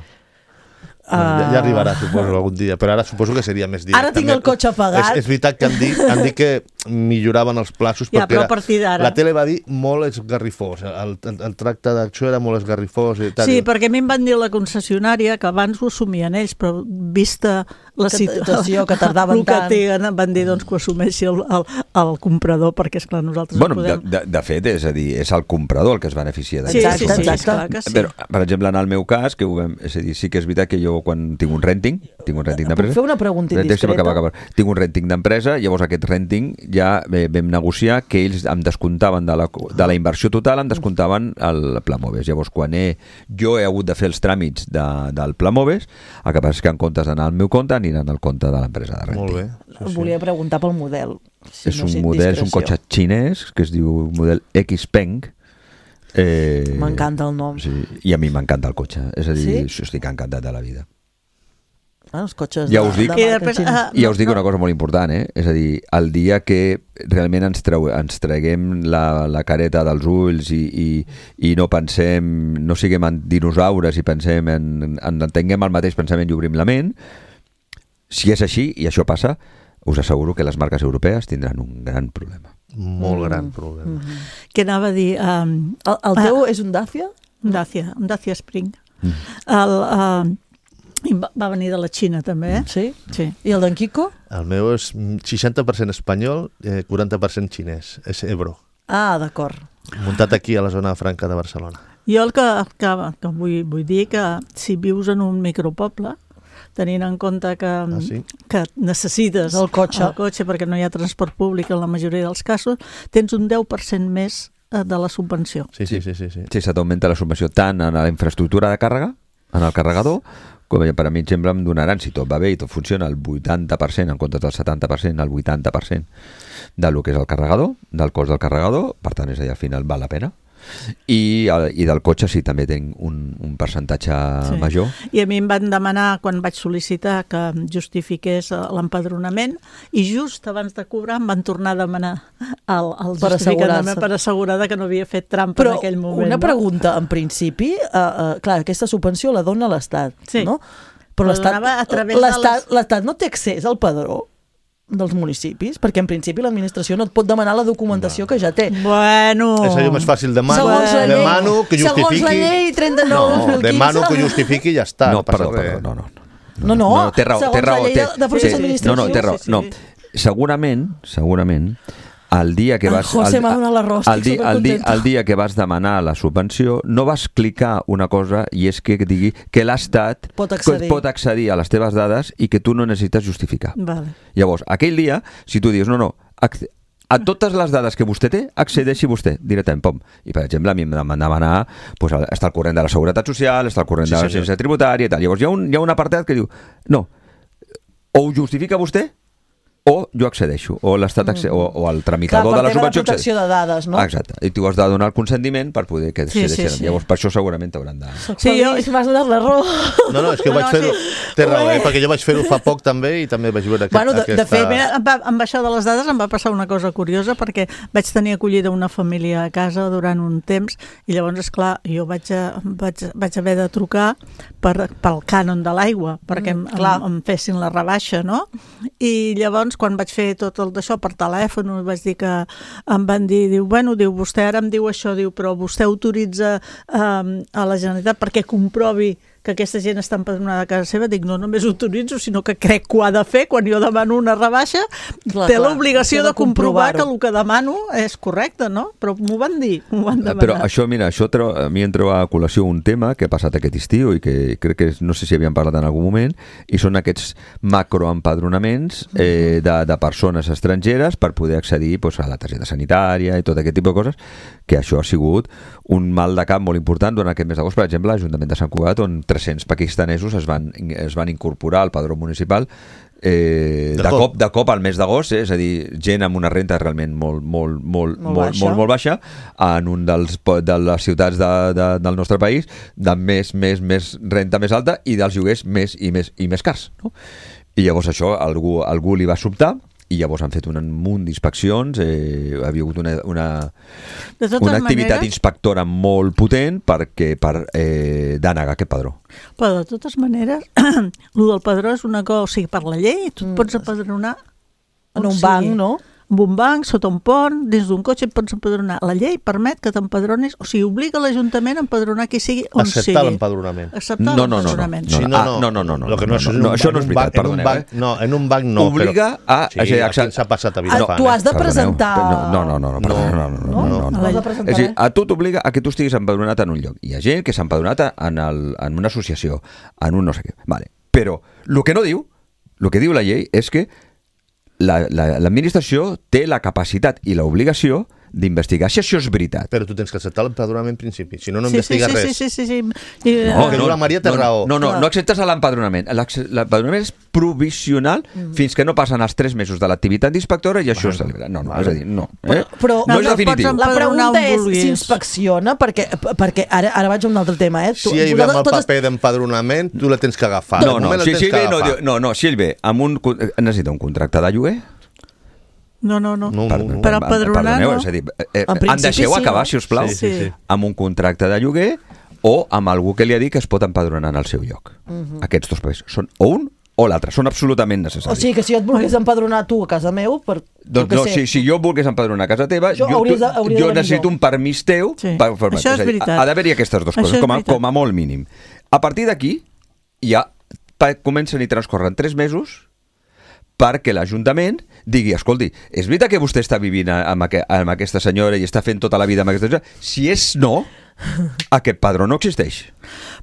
Ah. Bueno, ja, ja arribarà, suposo, algun dia, però ara suposo que seria més directe. Ara tinc el cotxe pagat. És, és veritat que han dit, han dit que milloraven els plaços, Ja, perquè però era, a partir d'ara. la tele va dir molt esgarrifós, el, el, el tracte d'acció era molt esgarrifós i tal. Sí, perquè a mi em van dir la concessionària que abans ho assumien ells, però vista la Que- situ- situació que tardaven el que tant. tenen, van dir doncs, que ho assumeixi el, el, el comprador, perquè esclar, nosaltres Bueno, no de, podem... de, de fet, és a dir, és el comprador el que es beneficia Sí, d'aquest. sí, sí, Exacte, clar que sí. Però, per exemple, en el meu cas, que ho vam, és a dir, sí que és veritat que jo quan tinc un renting, tinc un renting Puc d'empresa... fer una pregunta Renting, sí, indiscreta? acaba, acaba. Tinc un renting d'empresa, llavors aquest renting ja eh, vam negociar que ells em descomptaven de la, de la inversió total, em descomptaven el Pla Moves. Llavors, quan he, jo he hagut de fer els tràmits de, del Pla Moves, el que passa és que en comptes d'anar al meu compte, aniran al compte de l'empresa de renting. Molt bé. Em volia preguntar pel model. Si És no un és model, és un indiscreció. cotxe xinès que es diu model Xpeng. Eh, M'encanta el nom. Sí, i a mi m'encanta el cotxe. És a dir, Sí? estic encantat de la vida. Ah, els cotxes Ja de, us dic- de I marca després, xinesa. ah, I ja no, us dic no. una cosa molt important, eh? És a dir, el dia que realment ens, treu, ens treguem la, la careta dels ulls i, i, i no pensem, no siguem en dinosaures i pensem en, en, en tinguem el mateix pensament i obrim la ment, si és així, i això passa, us asseguro que les marques europees tindran un gran problema. Molt gran problema. Què anava a dir? Um, El, el teu és un Dacia? un Dacia, un Dacia Spring. Mm. El, uh, i va, va venir de la Xina, també, eh? Sí? Sí. I el d'en Quico? El meu és seixanta per cent espanyol, eh, quaranta per cent xinès. És Ebro. Ah, d'acord. Muntat aquí a la zona franca de Barcelona. Jo el que, que, que vull, vull dir que si vius en un micropoble, tenint en compte que, Ah, sí? que necessites El cotxe. el cotxe perquè no hi ha transport públic en la majoria dels casos, tens un deu per cent més eh, de la subvenció. Sí, sí, sí, sí, sí. Sí, se t'augmenta la subvenció tant en la infraestructura de càrrega, en el carregador, com per a mi, exemple, em donaran, si tot va bé i tot funciona, el vuitanta per cent, en comptes del setanta per cent, el vuitanta per cent del que és el carregador, del cost del carregador, per tant, és a dir, al final val la pena. I, i del cotxe sí, també tinc un, un percentatge Sí. major. I a mi em van demanar, quan vaig sol·licitar que justifiqués eh, l'empadronament, i just abans de cobrar em van tornar a demanar el, el Per justificant assegurar-se. per assegurar que no havia fet trampa Però en aquell moment. una no? pregunta, en principi, uh, uh, clar, aquesta subvenció la dona l'Estat, Sí. no? Però La l'Estat donava a través de l'Estat les- l'Estat no té accés al padró dels municipis, perquè en principi l'administració no et pot demanar la documentació que ja té. Bueno... És allò més fàcil, demano, Segons la llei- demano que justifiqui... segons la llei trenta-nou dos No, mil quinze. demano que justifiqui i ja està. No, passa perdó, res. perdó, no, no. No, no, no, té raó, segons té raó. la llei té, de- de procés té- administratiu. No, no, té raó. Sí, sí. No. Segurament, segurament, el dia que El vas... José el, m'ha donat l'arròs, el, estic dia, el, dia, supercontenta. el dia que vas demanar la subvenció no vas clicar una cosa i és que digui que l'Estat Pot accedir. pot accedir a les teves dades i que tu no necessites justificar. Vale. Llavors, aquell dia, si tu dius, no, no, ac- a totes les dades que vostè té, accedeixi vostè directament, pom. I, per exemple, a mi em van demanar pues, estar al corrent de la Seguretat Social, estar al corrent Sí, de la senyor. Ciència Tributària i tal. Llavors, hi ha un, hi ha un apartat que diu, no, o ho justifica vostè o jo accedeixo, o l'Estat acce- o, o el Clar, tramitador per de la tema de subvenció protecció de dades, no? Ah, exacte, i tu has de donar el consentiment per poder que Sí, sí, accedeixin. sí. Llavors, per això segurament t'hauran de... Sí, jo- Feliç, m'has donat la raó. No, no, és que No, vaig no, fer-ho... sí. Té raó, eh? Ué. Perquè jo vaig fer-ho fa poc també i també vaig veure aquest, Bueno, de- de aquesta... fet, Mira, em va, amb això de les dades em va passar una cosa curiosa perquè vaig tenir acollida una família a casa durant un temps i llavors, esclar, jo vaig, a, vaig, vaig haver de trucar per, pel cànon de l'aigua perquè Mm, em, clar. em, em fessin la rebaixa, no? I llavors, quan vaig fer tot el d'això per telèfon, vaig dir que em van dir, diu, bueno, diu, vostè ara em diu això, diu, però vostè autoritza eh, a la Generalitat perquè comprovi que aquesta gent està empadronada a casa seva. Dic, no només ho autoritzo, sinó que crec que ho ha de fer quan jo demano una rebaixa. Clar, té clar, l'obligació té de de comprovar que comprovar-ho. el que demano és correcte, no? Però m'ho van dir, m'ho van demanar. Però això, mira, això treu, a mi em treu a col·lació un tema que ha passat aquest estiu i que crec que no sé si havíem parlat en algun moment, i són aquests macroempadronaments eh, de, de persones estrangeres per poder accedir pues, a la targeta sanitària i tot aquest tipus de coses, que això ha sigut un mal de cap molt important durant aquest mes d'agost. Per exemple, l'Ajuntament de Sant Cugat, on tres-cents pakistanesos es van, es van incorporar al padró municipal eh, De de, cop. cop, de cop al mes d'agost, eh? És a dir, gent amb una renta realment molt, molt, molt, Molt molt, baixa. molt, molt baixa en un dels, po- de les ciutats de, de, del nostre país de més, més, més renta més alta i dels lloguers més i més, i més cars, no? I llavors això algú, algú li va sobtar i llavors han fet un munt d'inspeccions, eh, ha hagut una, una, De totes una activitat maneres- inspectora molt potent perquè, per eh, denegar aquest padró. Però de totes maneres, el del padró és una cosa, o sigui, per la llei, tu et pots empadronar En on un sigui. banc, no? En un banc, sota un pont, dins d'un cotxe et pots empadronar. La llei permet que t'empadronis, o sigui, obliga l'Ajuntament a empadronar qui sigui on Acceptar sigui. l'empadronament. Acceptar No, no, no, no. l'empadronament. No, Sí, no, ah, no, no, no, no, Lo que no, no, és no, un no, això banc- no és en un banc- veritat, en un perdoneu, banc- eh? No, en un banc no. Obliga però... a- Sí, o sigui, aquí accept- ens ha passat a Ah, Vilafant. tu has de Perdoneu, presentar... No, no, no, no, perdoneu, no, no, no, no, no, no. Has de presentar, És a dir, eh? a tu t'obliga a que tu estiguis empadronat en un lloc. Hi ha gent que s'ha empadronat en, el, en una associació, en un no sé què. Vale. Però el que no diu, el que diu la llei és que la- la- l'administració té la capacitat i l'obligació d'investigar si això és veritat. Però tu tens que acceptar l'empadronament en principi, si no, no Sí, sí, investiga sí, res. sí, sí, sí, sí. I, No, eh, que diu la Maria té no, raó. No, no, Clar. no acceptes l'empadronament. L'acce- L'empadronament és provisional Mm. fins que no passen els tres mesos de l'activitat d'inspectora i això es celebra. No, no, és a dir, no. Eh? Però- no No, és no, definitiu. pots La empadronar pregunta on és, vulguis. s'inspecciona? Perquè, perquè ara, ara vaig a un altre tema, eh? Si ell ve amb el paper d'empadronament, tu la tens que agafar. No, De no, moment la si, tens si ell que ve, no, agafar. diu- no, no, si ell ve amb un... con- necessita un contracte de lloguer. No, no, no. No, Per, no, no. Per empadronar, perdoneu, no. és a dir, eh, En em principi deixeu sí, acabar, no? si us plau, Sí, sí, sí. amb un contracte de lloguer o amb algú que li ha dit que es pot empadronar en el seu lloc. Aquests dos papers són o un o l'altre, són absolutament necessaris. O sigui que si jo et volgués empadronar tu a casa meu, per... Doncs jo què no, sé, si, si jo volgués empadronar a casa teva, Jo jo, hauries de- tu- hauria de jo venir necessito jo. un permís teu. Sí. per formar- Això és a dir, veritat. Ha d'haver-hi aquestes dues Això coses, és com a, veritat. com a molt mínim. A partir d'aquí, ja pa- comencen i transcorren tres mesos perquè l'Ajuntament digui, escolti, és veritat que vostè està vivint amb, aqu amb aquesta senyora i està fent tota la vida amb aquesta senyora? Si és no, Aquest padró no existeix.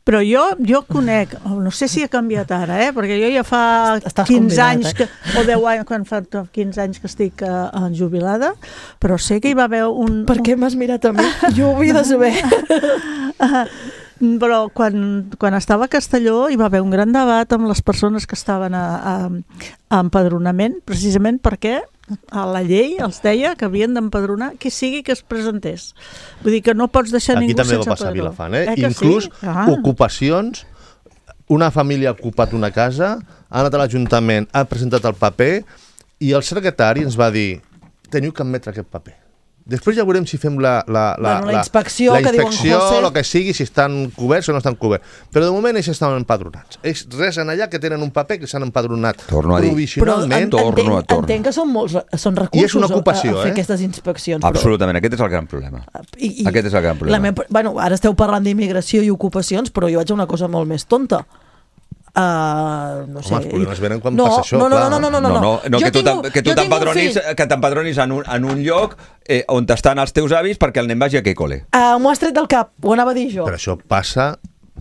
Però jo, jo conec, no sé si ha canviat ara, eh? Perquè jo ja fa Estàs quinze convidat, anys, que, o deu anys, quan fa quinze anys que estic uh, jubilada, però sé que hi va haver un... Per què m'has mirat a mi? Jo ho havia de saber. Però quan, quan estava a Castelló hi va haver un gran debat amb les persones que estaven a, a, a empadronament, precisament perquè a la llei els deia que havien d'empadronar qui sigui que es presentés. Vull dir que no pots deixar Aquí ningú també sense va passar a empadronar. Vilafant, eh? Eh que Inclús sí? Ah. ocupacions, una família ha ocupat una casa, ha anat a l'Ajuntament, ha presentat el paper i el secretari ens va dir teniu que admetre aquest paper. Després ja veurem si fem la, la, la, Bueno, la inspecció, la, la que diuen inspecció, José. el que sigui, si estan coberts o no estan coberts. Però de moment ells estan empadronats. Ells res en allà que tenen un paper que s'han empadronat Torno a dir. Però provisionalment. en, torno entenc, a torno. entenc que són molts són recursos I és una ocupació, a, a fer eh? aquestes inspeccions. Absolutament, aquest és el gran problema. I, i Aquest és el gran problema. La meva, bueno, ara esteu parlant d'immigració i ocupacions, però jo vaig a una cosa molt més tonta. Uh, no sé. Home, els problemes venen quan no, passa això, no, no, clar. no, no, no, no, no, no, no Jo que tu tinc un- t'em- que tu jo tinc un t'empadronis fill. que t'empadronis en, un, en un lloc eh, on estan els teus avis perquè el nen vagi a aquell col·le. Uh, M'ho has tret del cap, ho anava a dir jo. Però això passa,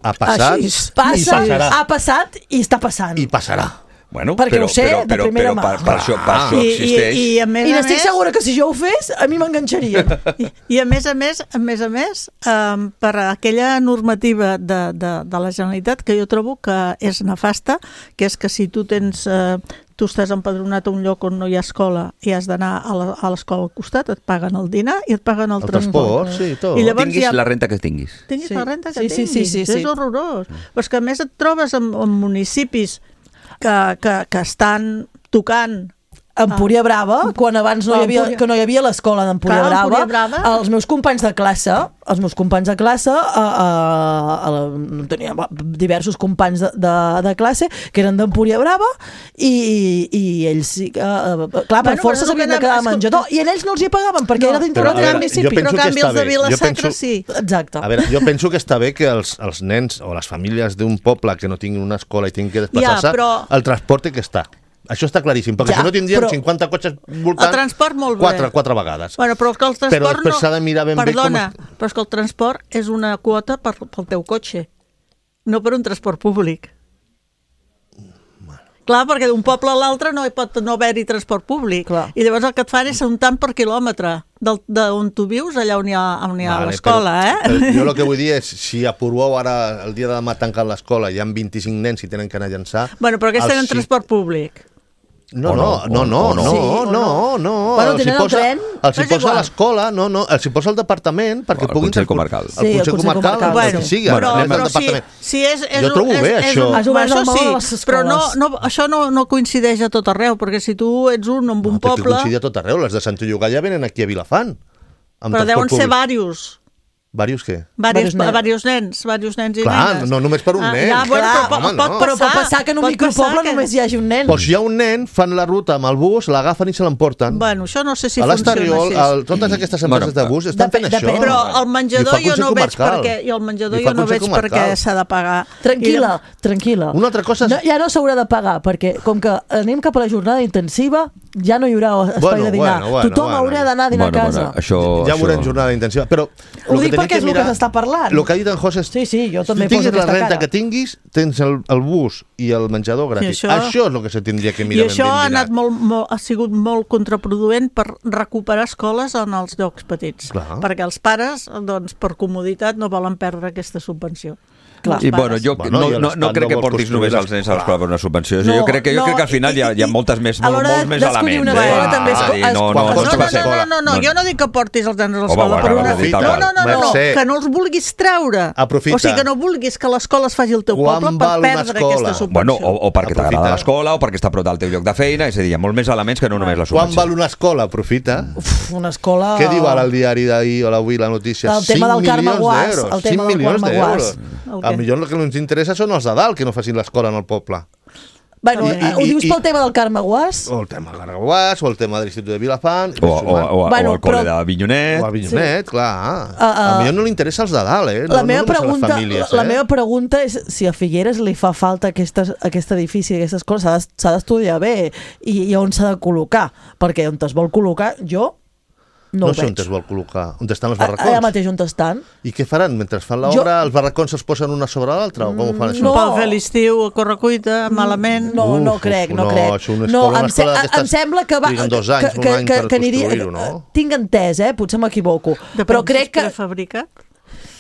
ha passat Així, i passa, passarà. ha passat i està passant. I passarà. Bueno, Perquè però, ho sé però, de però, primera però mà. per, per, això, per Ah. això I, existeix. i, i a més I a n'estic més, segura que si jo ho fes, a mi m'enganxarien. I, I a més a més, a més a més, um, per aquella normativa de, de, de la Generalitat que jo trobo que és nefasta, que és que si tu tens... Uh, tu estàs empadronat a un lloc on no hi ha escola i has d'anar a la- a l'escola al costat, et paguen el dinar i et paguen el, El transport, sí, tot. I llavors Tinguis hi ha... la renta que tinguis. Tinguis Sí. la renta que Sí, sí, tinguis. sí, sí, sí. És horrorós. Però és que a més et trobes en, en municipis que, que, que estan tocant Empúria Brava, quan abans no hi havia, Empúria- que no hi havia l'escola d'Empúria Clar, Brava, Empúria Brava. els meus companys de classe, els meus companys de classe, a, a, a la, tenia diversos companys de, de, de classe que eren d'Empúria Brava i, i ells, sí que, uh, clar, per Bueno, força però s'havien de no quedar a escolta- menjador i ells no els hi pagaven perquè No, era dintre però, del a veure, municipi. jo penso però que canvi està els de bé. Jo Vila-sacra penso- sí. Exacte. A veure, jo penso que està bé que els, els nens o les famílies d'un poble que no tinguin una escola i tinguin que desplaçar-se, Ja, però- el transport té que estar. Això està claríssim, perquè Ja, si no tindríem però- cinquanta cotxes voltant El transport molt bé. quatre, quatre vegades. Bueno, però és que el transport Però després no... s'ha de mirar ben bé com Perdona, es- però és que el transport és una quota per, pel teu cotxe, no per un transport públic. Clar, perquè d'un poble a l'altre no hi pot no haver-hi transport públic. Clar. I llavors el que et fan és un tant per quilòmetre del- d'on tu vius, allà on hi ha, on hi ha Vale, l'escola, però, eh? però Jo el que vull dir és, si a Portbou ara, el dia de demà tanquen l'escola, hi ha vint-i-cinc nens i tenen que anar a llançar... Bueno, però aquests els tenen sí- transport públic. No, O no, no, no, no, o no, no. Sí, no, o no, no. Bueno, Els hi tenen el posa, tren, els hi és posa igual. l'escola, no, no, els hi posa el departament perquè O el puguin... Consell Comarcal. El Sí, el Consell Consell Comarcal, Comarcal. el Bueno, que sigui, bueno, anem però al si, departament. si és, és, Jo trobo és, bé, és, això. Un, Has obert això el món sí, a les però no, escoles. no, això no, no coincideix a tot arreu, perquè si tu ets un en un No, té que poble, coincidir a tot arreu. Les de Sant Llogar ja venen aquí a Vilafant. Amb però deuen transport ser públic. diversos. Varios què? Diversos, Varios nens. diversos nens, diversos nens i Clar, nenes. no només per un Ah, nen. Ja, bueno, Clar, però pot, home, pot no. Però passar, pot passar que en un pot micropoble passar que- només hi hagi un nen. Doncs si hi ha un nen, fan la ruta amb el bus, l'agafen i se l'emporten. Bueno, això no sé si a funciona l'Estarriol, així. el, totes aquestes empreses Bueno, de bus estan depèn- fent això. depèn. Però el I ho menjador fa el jo Consell no veig Comarcal. perquè, i el menjador I fa jo no el Consell veig perquè Comarcal. s'ha de pagar. Tranquil·la, tranquil·la. Una altra cosa és- No, ja no s'haurà de pagar, perquè com que anem cap a la jornada intensiva, ja no hi haurà espai Bueno, de dinar. bueno, bueno, Tothom bueno. haurà d'anar a dinar Bueno, a casa. bueno, això... Ja això... veurem jornada intensiva. Però Ho el que dic tenim perquè és el que s'està parlant. El que ha dit en José és... Sí, sí, jo també si tinguis poso la aquesta renta cara. que tinguis, tens el, el bus i el menjador gratis. això- això és el que se tindria que I mirar això ben ha, ben anat mirat. molt, molt, ha sigut molt contraproduent per recuperar escoles en els llocs petits. Clar. Perquè els pares, doncs, per comoditat, no volen perdre aquesta subvenció. Clar. I bueno, jo Bueno, no, i no, l'Estat no crec no que vol portis construir només les- els nens a l'escola per una subvenció. No, jo crec que, jo no, crec que al final hi ha, hi ha i- moltes més, a l'hora molts més d'escollir elements. una eh? escola també es- És a dir, no, es- no, quan no, costa no, No, la no, escola. no, no, no, jo no dic que portis els nens a Home, l'escola, bueno, però bueno, una... aprofita, no, no, no, no, Mercè. que no els vulguis treure. Aprofita. O sigui, que no vulguis que l'escola es faci al teu Quan poble per val una perdre escola? aquesta subvenció. Bueno, o, o perquè Aprofita. t'agrada l'escola o perquè està a prop del teu lloc de feina, és a dir, hi ha molts més elements que no només la Quan subvenció. val una escola? Aprofita. Uf, una escola... Què diu ara el diari d'ahir o l'avui la notícia? El tema del Carme milions Guàs, d'euros. el tema cinc del milions Carme d'euros. Guàs. El A què? millor el que ens interessa són els de dalt, que no facin l'escola en el poble. Bueno, I- i- ho dius i- pel tema del Carme Guàs? O el tema de l'Arguàs, o el tema de l'Institut de Vilafant, O, o, o, Bueno, o el col·le però- de Vinyonet. o el Vinyonet, clar. Uh, uh, a millor no li interessa els de dalt, eh? La no, meva no només a pregunta, les famílies, la eh? meva pregunta és si a Figueres li fa falta aquestes, aquest edifici, aquestes coses, s'ha d'es- s'ha d'estudiar bé i, i on s'ha de col·locar, perquè on es vol col·locar, jo No, no ho sé on veig. es vol col·locar. On estan els A- barracons? Allà mateix on estan. I què faran? Mentre fan l'obra, els barracons es posen una sobre l'altra? O com ho fan això? No. Pel fer l'estiu a correcuita, malament. No, no Uf, crec, no, no, crec. això una no, escola- una em, se- escola d'aquestes em sembla que va... triguen dos anys, que, un que, any que, per que aniria, construir-ho, no? Tinc entès, eh? Potser m'equivoco. Depèn Però si crec és que, prefabricat.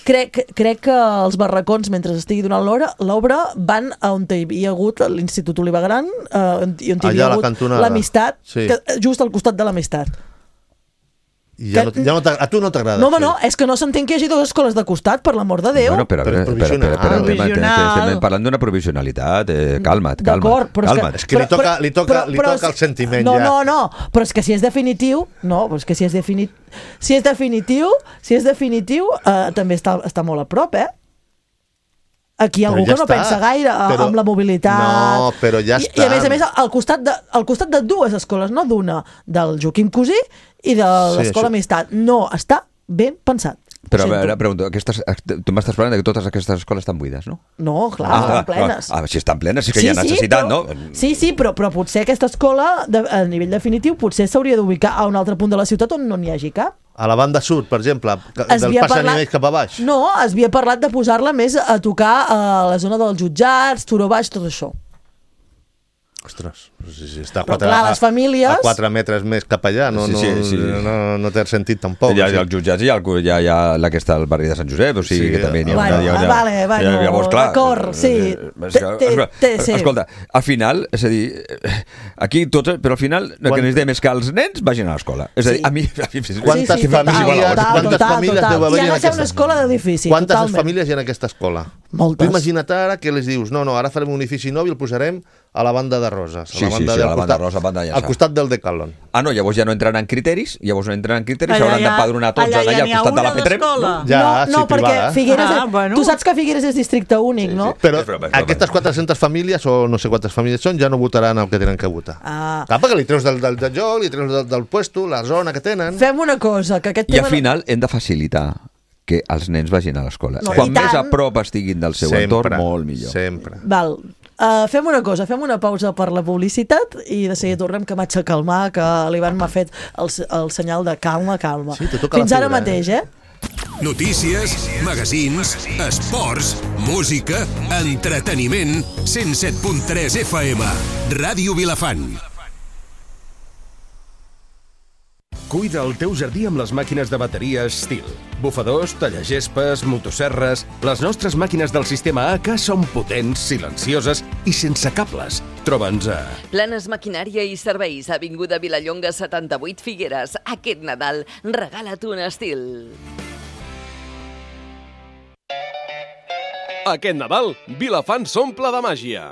crec, crec que els barracons, mentre estigui donant l'obra, l'obra van a on hi havia hagut l'Institut Oliva Gran eh, i on hi Allà havia a la hagut cantonada. l'Amistat, Sí. que, just al costat de l'Amistat. I ja no, ja no t'ag- a tu no t'agrada. No, home, sí. no, és que no s'entén que hi hagi dues escoles de costat, per l'amor de Déu. Bueno, però, Però és però, però, però, però, provisional. estem, estem, Provisional. estem parlant d'una provisionalitat. Eh, calma't, calma't. D'acord, però calma't. és És que li toca- li toca- li toca si- el sentiment, no, ja. No, no, però és que si és definitiu, no, però és que si és definitiu, si és definitiu, si és definitiu, eh, també està, està molt a prop, eh? Aquí hi ha Però algú ja que no està. pensa gaire a- Però- amb la mobilitat. No, però ja I, I a més a està. més, al costat de, al costat de dues escoles, no d'una, del Joaquim Cosí i de Sí, l'Escola això- Amistat. No, està ben pensat. Però a Ho veure, sento. pregunto, aquestes, tu m'estàs parlant de que totes aquestes escoles estan buides, no? No, clar, estan plenes. Ah, ah, si estan plenes, sí que hi ha necessitat, però, no? Sí, sí, però, però potser aquesta escola, de, a nivell definitiu, potser s'hauria d'ubicar a un altre punt de la ciutat on no n'hi hagi cap. A la banda sud, per exemple, que- Es del havia pas a parlat- nivell cap a baix. No, es havia parlat de posar-la més a tocar a la zona dels jutjats, Turó Baix, tot això. Ostres, sí, sí, està a Però quatre, clar, les famílies- a quatre metres més cap allà, no, Sí, sí, no, sí. no, no té sentit tampoc. Hi ha, sí. hi ha els jutjats i hi ha, el- hi ha, hi ha la que està al barri de Sant Josep, o sigui Sí, que també n'hi ha bueno, una... hi ha, hi ha, vale, bueno, hi ha- llavors, clar, d'acord, sí. eh, és que, Té- té- escolta, té- sí. escolta, al final, és a dir, eh, aquí tots, però al final el que Quan- necessitem és que els nens vagin a l'escola. És a dir, Sí. a mi... A mi Quantes sí, sí, famílies- total, total, quantes total, famílies total. deu haver I ha en de ser aquesta- una escola d'edifici, Quantes totalment. famílies hi ha en aquesta escola? Moltes. Tu imagina't ara que les dius, no, no, ara farem un edifici nou i el posarem a la banda de Roses. A Sí, la sí, banda sí, de- a la al banda costat- de Roses, banda de Llaçà. Al costat del Decathlon. Ah, no, llavors ja no entraran en criteris, llavors no entraran en criteris, Allà s'hauran ja- d'empadronar tots allà allà, ja al n'hi ha costat de la una Petrem. d'escola. Ja, no, no sí, perquè privada. Figueres... Ah, és- bueno. Tu saps que Figueres és districte únic, no? Però És broma, és broma. aquestes quatre-centes famílies, o no sé quantes famílies són, ja no votaran el que tenen que votar. Ah. Clar, perquè li treus del, del, del joc, li treus del, del puesto, la zona que tenen. Fem una cosa, que aquest I tema... al final hem de facilitar que els nens vagin a l'escola. No, Quan i més tant. a prop estiguin del seu entorn, molt millor. Sempre. Val. Uh, fem una cosa, fem una pausa per la publicitat i de seguida tornem, que m'haig de calmar, que l'Ivan m'ha fet el, el senyal de calma, calma. Sí, te toca Fins la ara fibra, mateix, eh? Notícies, magazins, esports, música, entreteniment, cent set punt tres F M. Ràdio Vilafant. Cuida el teu jardí amb les màquines de bateria Stihl. Bufadors, tallagespas, motosserres... Les nostres màquines del sistema A K són potents, silencioses i sense cables. Troba'ns a... Planes Maquinària i Serveis, Avinguda Vilallonga setanta-vuit Figueres. Aquest Nadal, regala't un estil. Aquest Nadal, Vilafant s'omple de màgia.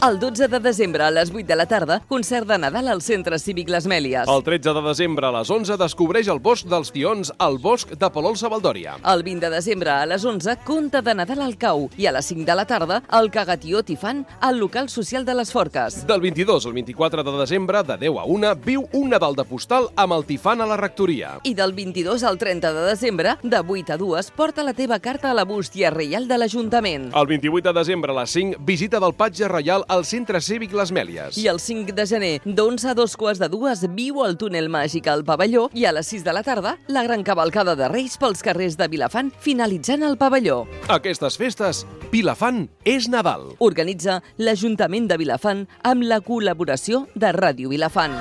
El dotze de desembre a les vuit de la tarda, concert de Nadal al Centre Cívic Les Mèlies. El tretze de desembre a les onze descobreix el bosc dels tions al bosc de Palol Savaldòria. El vint de desembre a les onze, conte de Nadal al Cau. I a les cinc de la tarda, el Cagatió Tifant al local social de les Forques. Del vint-i-dos al vint-i-quatre de desembre, de deu a una, viu un Nadal de postal amb el Tifant a la rectoria. I del vint-i-dos al trenta de desembre, de vuit a dues, porta la teva carta a la bústia reial de l'Ajuntament. El vint-i-vuit de desembre a les cinc, visita del Patge Reial al Centre Cívic Les Mèlies. I el cinc de gener, d'onze a dos quarts de dues, viu el túnel màgic al pavelló i a les sis de la tarda, la gran cavalcada de Reis pels carrers de Vilafant, finalitzant el pavelló. Aquestes festes, Vilafant és Nadal. Organitza l'Ajuntament de Vilafant amb la col·laboració de Ràdio Vilafant.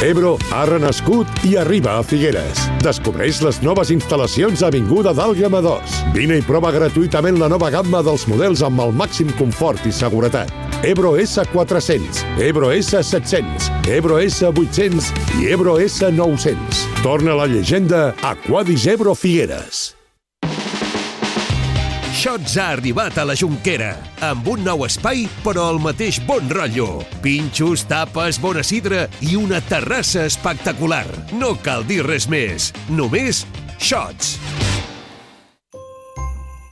Ebro ha renascut i arriba a Figueres. Descobreix les noves instal·lacions a Avinguda d'Àlgama dos. Vine i prova gratuïtament la nova gamma dels models amb el màxim confort i seguretat. Ebro S quatre-cents, Ebro S set-cents, Ebro S vuit-cents i Ebro S nou-cents. Torna la llegenda Aquadis Ebro Figueres. Shots ha arribat a la Jonquera, amb un nou espai, però el mateix bon rotllo. Pinxos, tapes, bona sidra i una terrassa espectacular. No cal dir res més, només Shots.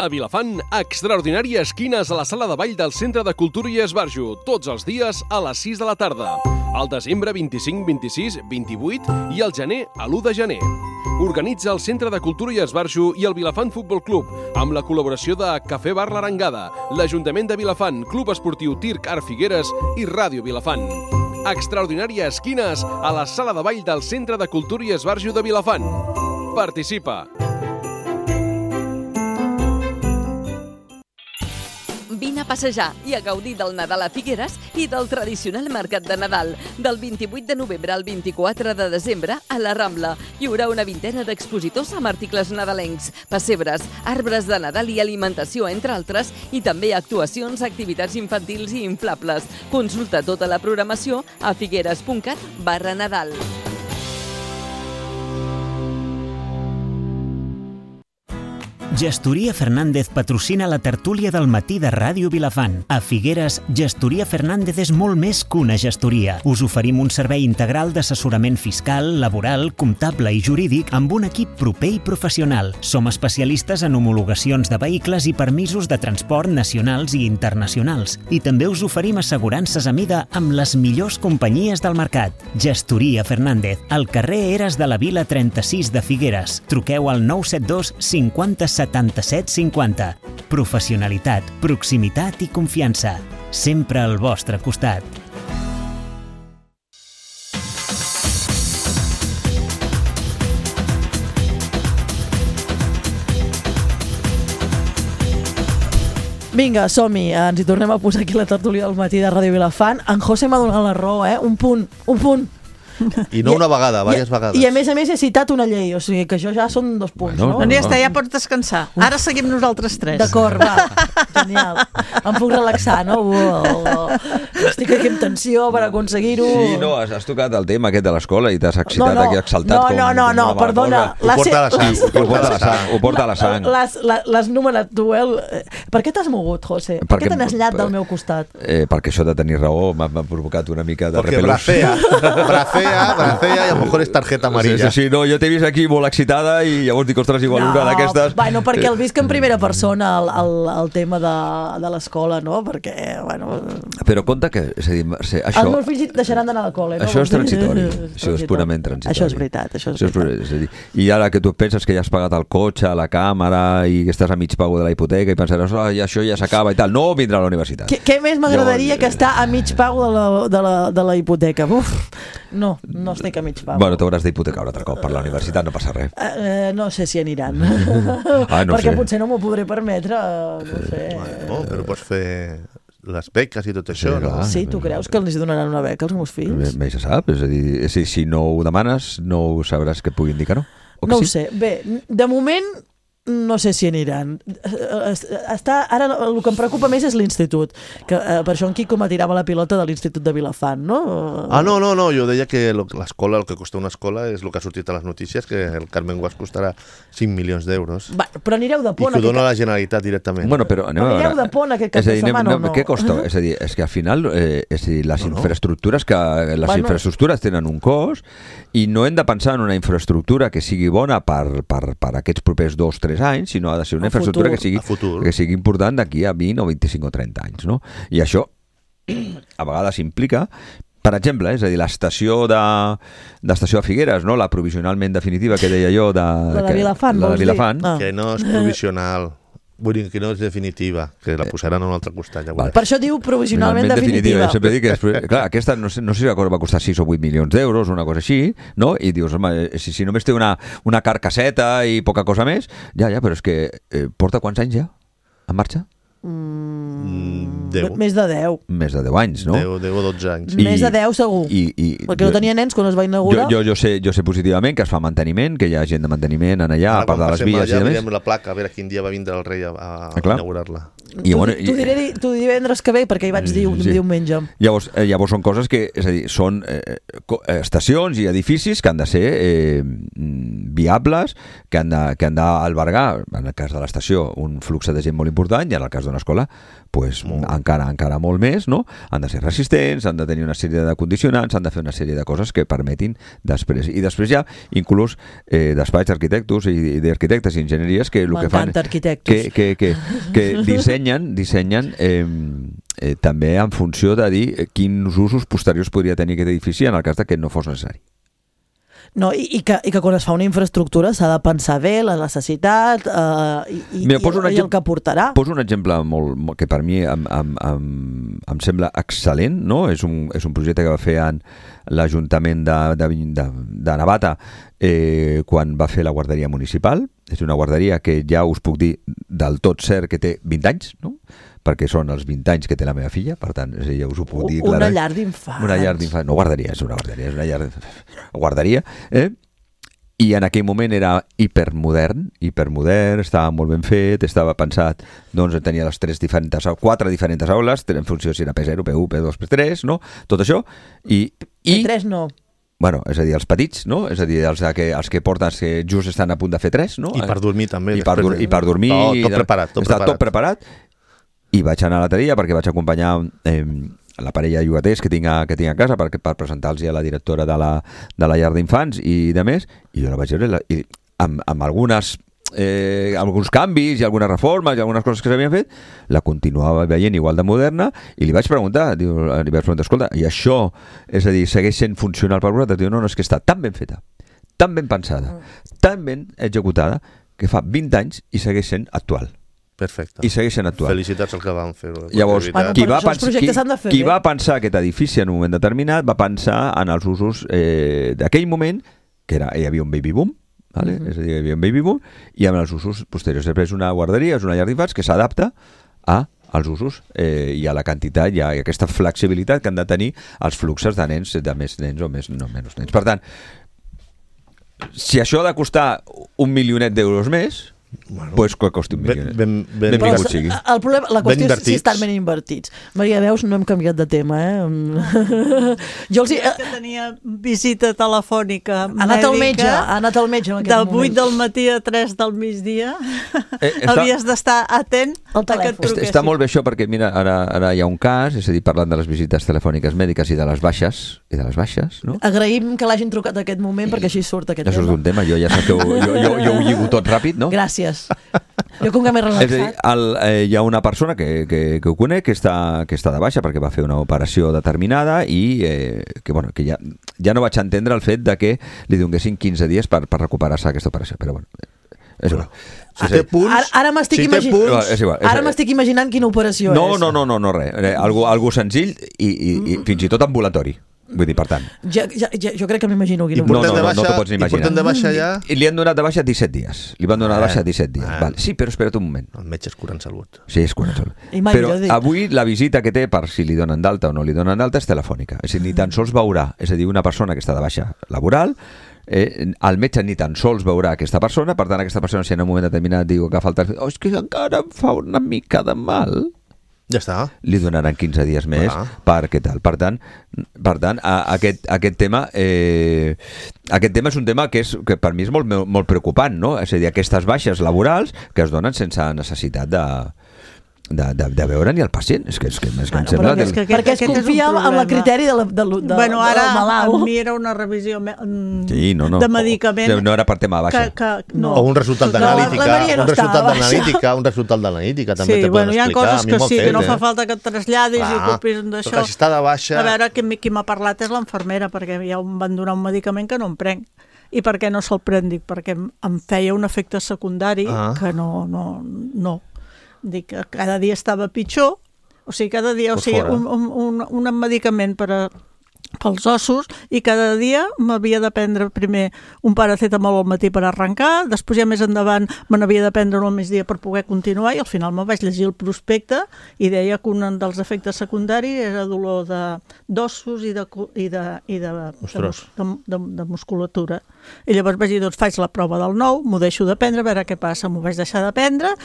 A Vilafant, extraordinàries esquines a la sala de ball del Centre de Cultura i Esbarjo, tots els dies a les sis de la tarda. Al desembre vint-i-cinc, vint-i-sis, vint-i-vuit i al gener a l'u de gener. Organitza el Centre de Cultura i Esbarjo i el Vilafant Futbol Club, amb la col·laboració de Cafè Bar l'Arengada, l'Ajuntament de Vilafant, Club Esportiu Tirc Art Figueres i Ràdio Vilafant. Extraordinària Esquines a la Sala de Ball del Centre de Cultura i Esbarjo de Vilafant. Participa! Vine a passejar i a gaudir del Nadal a Figueres i del tradicional mercat de Nadal. Del vint-i-vuit de novembre al vint-i-quatre de desembre a la Rambla hi haurà una vintena d'expositors amb articles nadalencs, pessebres, arbres de Nadal i alimentació, entre altres, i també actuacions, activitats infantils i inflables. Consulta tota la programació a figueres.cat barra Nadal. Gestoria Fernández patrocina la tertúlia del matí de Ràdio Vilafant. A Figueres, Gestoria Fernández és molt més que una gestoria. Us oferim un servei integral d'assessorament fiscal, laboral, comptable i jurídic amb un equip proper i professional. Som especialistes en homologacions de vehicles i permisos de transport nacionals i internacionals. I també us oferim assegurances a mida amb les millors companyies del mercat. Gestoria Fernández, al carrer Eres de la Vila trenta-sis de Figueres. Truqueu al nou set dos cinquanta setanta-set cinquanta. Professionalitat, proximitat i confiança. Sempre al vostre costat. Vinga, som-hi, ens hi tornem a posar aquí la tertúlia del matí de Ràdio Vilafant. En José m'ha donat la raó, eh? Un punt, un punt. I no una vegada, diverses vegades. I a més a més he citat una llei, o sigui que això ja són dos punts, Bueno, no? Doncs ja està, ja pots descansar. Ara seguim nosaltres tres. D'acord, va, genial. Em puc relaxar, no? Uh, estic aquí amb tensió per aconseguir-ho. Sí, no, has, has tocat el tema aquest de l'escola i t'has excitat, No, no, aquí exaltat. no, com, no, no, com no, una mala perdona. cosa. La Ho porta a la se- sang. Ho porta a la sang. Ho porta a la sang. L'has la- l'has nomenat tu, eh? Per què t'has mogut, José? Per Perquè- què te n'has llat del meu costat? Eh, perquè això de tenir raó m'ha m'ha provocat una mica de Porque repelús. bracea, bracea, bracea y a lo mejor es tarjeta amarilla. Sí, sí, no, jo t'he vist aquí molt excitada i llavors dic, ostres, igual una d'aquestes... Bueno, perquè el visc en primera persona el, el, el tema de, de l'escola, no? Perquè, bueno... Però compte que, és a dir, Mercè, això... Els meus fills deixaran d'anar al col·le, no? Això és transitori, És això és purament transitori. Això és veritat, això és Això és, veritat. és a dir, I ara que tu penses que ja has pagat el cotxe, la càmera i que estàs a mig pago de la hipoteca i pensaràs, oh, ja, això ja s'acaba i tal. No, vindrà a la universitat. Què, què més m'agradaria Llavors, que estar a mig pago de la, de la, de la hipoteca? Uf, no, no estic a mig pago. Bueno, t'hauràs d'hipotecar un altre cop per la universitat, no passa res. Eh, no sé si aniran. Ah, no perquè sé. potser no m'ho podré permetre, no sé. Bueno, però pots fer les beques i tot això, Sí, no? clar. Sí, tu creus que els donaran una beca als meus fills? Mai se sap, és a dir, si, si no ho demanes no ho sabràs que et puguin dir que no. O que No ho sí? sé. Bé, de moment no sé si aniran. Està, ara el que em preocupa més és l'institut, que eh, per això en Quico m'atirava la pilota de l'institut de Vilafant, no? Ah, no, no, no, jo deia que lo- l'escola, el que costa una escola és el que ha sortit a les notícies, que el Carmen Guas costarà cinc milions d'euros. Va, però anireu de I pont que ho dona aquest... la Generalitat directament. Bueno, però anem a Anireu veure. de pont aquest cap És a de dir, anem- setmana o anem- no? Què costa? És a dir, és que al final eh, és a dir, les No, no. infraestructures que les Bueno. infraestructures tenen un cost i no hem de pensar en una infraestructura que sigui bona per, per, per aquests propers dos o tres anys, sinó ha de ser una A infraestructura futur. que sigui, A futur. que sigui important d'aquí a vint o vint-i-cinc o trenta anys, no? I això a vegades implica, per exemple, és a dir, l'estació de d'estació de Figueres, no? La provisionalment definitiva que deia jo de, La de que- Vilafant, la de vols dir? Vilafant. Ah. Que no és provisional. Vull dir que no és definitiva, que la posaran a un altre costat. Ja Val. veuràs. Per això diu provisionalment Finalment definitiva. Jo sempre dic que, després, clar, aquesta no sé, no sé si va costar sis o vuit milions d'euros, una cosa així, no? I dius, home, si, si només té una, una carcasseta i poca cosa més, ja, ja, però és que eh, porta quants anys ja en marxa? Mm, deu. Més de deu. Més de deu anys, no? deu, deu o dotze anys. Més de deu segur. I, i, Perquè no tenia nens quan es va jo, inaugurar. jo, jo, sé, jo sé positivament que es fa manteniment, que hi ha gent de manteniment en allà, a part de les passem vies i allà, de més. mirem la placa, a veure quin dia va vindre el rei a, a Ah, clar. inaugurar-la. I, T'ho bueno, di- t'ho diré, di- t'ho diré divendres que ve, perquè hi vaig dir un Sí. diumenge. Llavors, eh, llavors són coses que, és a dir, són eh, co- eh, estacions i edificis que han de ser eh, mm, viables, que han de- que han d'albergar, en el cas de l'estació, un flux de gent molt important, i en el cas d'una escola, pues, encara encara molt més, no? Han de ser resistents, han de tenir una sèrie de condicionants, han de fer una sèrie de coses que permetin després. I després hi ha inclús eh, despatx d'arquitectos i d'arquitectes i enginyeries que el que fan... M'encanta arquitectos. Que, que, que, que dissenyen, dissenyen eh, eh, també en funció de dir eh, quins usos posteriors podria tenir aquest edifici en el cas de que no fos necessari. No, i, i, que, i que quan es fa una infraestructura s'ha de pensar bé la necessitat eh, i, Mira, i, i el que portarà. Poso un exemple molt, molt, que per mi em, em, em, em sembla excel·lent, no? És un, és un projecte que va fer en l'Ajuntament de, de, de, de Navata eh, quan va fer la guarderia municipal. És una guarderia que ja us puc dir del tot cert que té vint anys, no? Perquè són els vint anys que té la meva filla, per tant, ja us ho puc dir Una clarament. llar d'infants. Una llar d'infants. No, guarderia, és una guarderia, és una llar guarderia, eh? I en aquell moment era hipermodern, hipermodern, estava molt ben fet, estava pensat, doncs tenia les tres diferents, quatre diferents aules, en funció si era P zero, P u, P dos, P tres, no? Tot això. I, i... P tres no. Bueno, és a dir, els petits, no? És a dir, els que, els que porten, els que just estan a punt de fer tres, no? I per dormir també. I per, dur, i per dormir. Tot, tot preparat. Tot està preparat. tot preparat. I vaig anar a l'altre dia perquè vaig acompanyar eh, la parella de llogaters que tinc a, que tinc a casa per, per presentar-los a la directora de la, de la llar d'infants i de més, i jo la vaig veure i amb, amb algunes eh, alguns canvis i algunes reformes i algunes coses que s'havien fet, la continuava veient igual de moderna i li vaig preguntar, diu, li vaig preguntar, escolta, i això, és a dir, segueix sent funcional per vosaltres? Diu, no, no, és que està tan ben feta, tan ben pensada, tan ben executada, que fa vint anys i segueix sent actual. Perfecte. I segueixen actuant. Felicitats al que van fer. Llavors, bueno, qui, va, pens qui, qui va pensar aquest edifici en un moment determinat va pensar en els usos eh, d'aquell moment, que era, hi havia un baby boom, vale? Mm-hmm. És a dir, hi havia un baby boom, i amb els usos posteriors. Després és una guarderia, és una llar d'infants que s'adapta a als usos eh, i a la quantitat i a aquesta flexibilitat que han de tenir els fluxos de nens, de més nens o més, no menys nens. Per tant, si això ha de costar un milionet d'euros més, bueno, pues que costi un milió. Ben, ben, ben Però el, el problema, la qüestió és si estan ben invertits. Maria, veus, no hem canviat de tema, eh? Jo els hi... que tenia visita telefònica ha anat al metge, ha anat al metge en aquest de moment. vuit del matí a tres del migdia. Eh, està, havies d'estar atent a que et truquessin. Està molt bé això perquè, mira, ara, ara hi ha un cas, és a dir, parlant de les visites telefòniques mèdiques i de les baixes, i de les baixes, no? Agraïm que l'hagin trucat aquest moment perquè així surt aquest això tema. Això és un tema, jo ja saps que ho, jo, jo, jo ho lligo tot ràpid, no? Gràcies. Jo com que m'he relaxat. És a dir, el, eh, hi ha una persona que, que, que ho conec que està, que està de baixa perquè va fer una operació determinada i eh, que, bueno, que ja, ja no vaig entendre el fet de que li donessin quinze dies per, per recuperar-se aquesta operació, però bueno, és igual. Si té punts, ara ara m'estic si imagin... punts, és igual, és ara m'estic imaginant quina operació no, és. No, no, no, no, res. Algo, algo senzill i, i, i fins i tot ambulatori. Vull dir, per tant. Ja, ja, ja, jo crec que m'imagino quina I portem no, no, de baixa, no t'ho pots imaginar. I portem de baixa ja... I li han donat de baixa disset dies. Li van donar de baixa disset dies. Ah. Vale. Sí, però espera't un moment. El metge és curant salut. Sí, és curant salut. Però avui la visita que té per si li donen d'alta o no li donen d'alta és telefònica. És a dir, ni tan sols veurà. És a dir, una persona que està de baixa laboral, eh, el metge ni tan sols veurà aquesta persona, per tant aquesta persona si en un moment determinat diu que falta... Oh, és que encara em fa una mica de mal... Ja està. Li donaran quinze dies més ah. per què tal. Per tant, per tant a, aquest, aquest tema eh, aquest tema és un tema que, és, que per mi és molt, molt preocupant, no? És a dir, aquestes baixes laborals que es donen sense necessitat de... De, de, de veure ni el pacient, és que, és que, és que bueno, em sembla que, que... perquè es confia en el criteri de la, de, de, bueno, ara, del malalt. a mi era una revisió sí, no, no. de medicament no era per tema de baixa que, que, no. o un resultat d'analítica no, un resultat d'analítica un resultat d'analítica també sí, te poden bueno, explicar hi ha coses que sí, fet, que no eh? fa falta que et traslladis ah, i ocupis d'això. Però si està de baixa... A veure, qui, qui m'ha parlat és l'enfermera, perquè ja em van donar un medicament que no em prenc. I per què no se'l prenc? Dic, perquè em feia un efecte secundari ah. que no, no, no. Dic que cada dia estava pitjor, o sigui, cada dia, o sigui, un, un, un, un medicament per a, pels ossos, i cada dia m'havia de prendre primer un paracetamol al matí per arrencar, després ja més endavant me n'havia de prendre un al migdia per poder continuar, i al final me vaig llegir el prospecte i deia que un dels efectes secundaris era dolor d'ossos i de, i de, i de, de, de, de, de musculatura. I llavors vaig dir, doncs faig la prova del nou, m'ho deixo de prendre, a veure què passa, m'ho vaig deixar de prendre.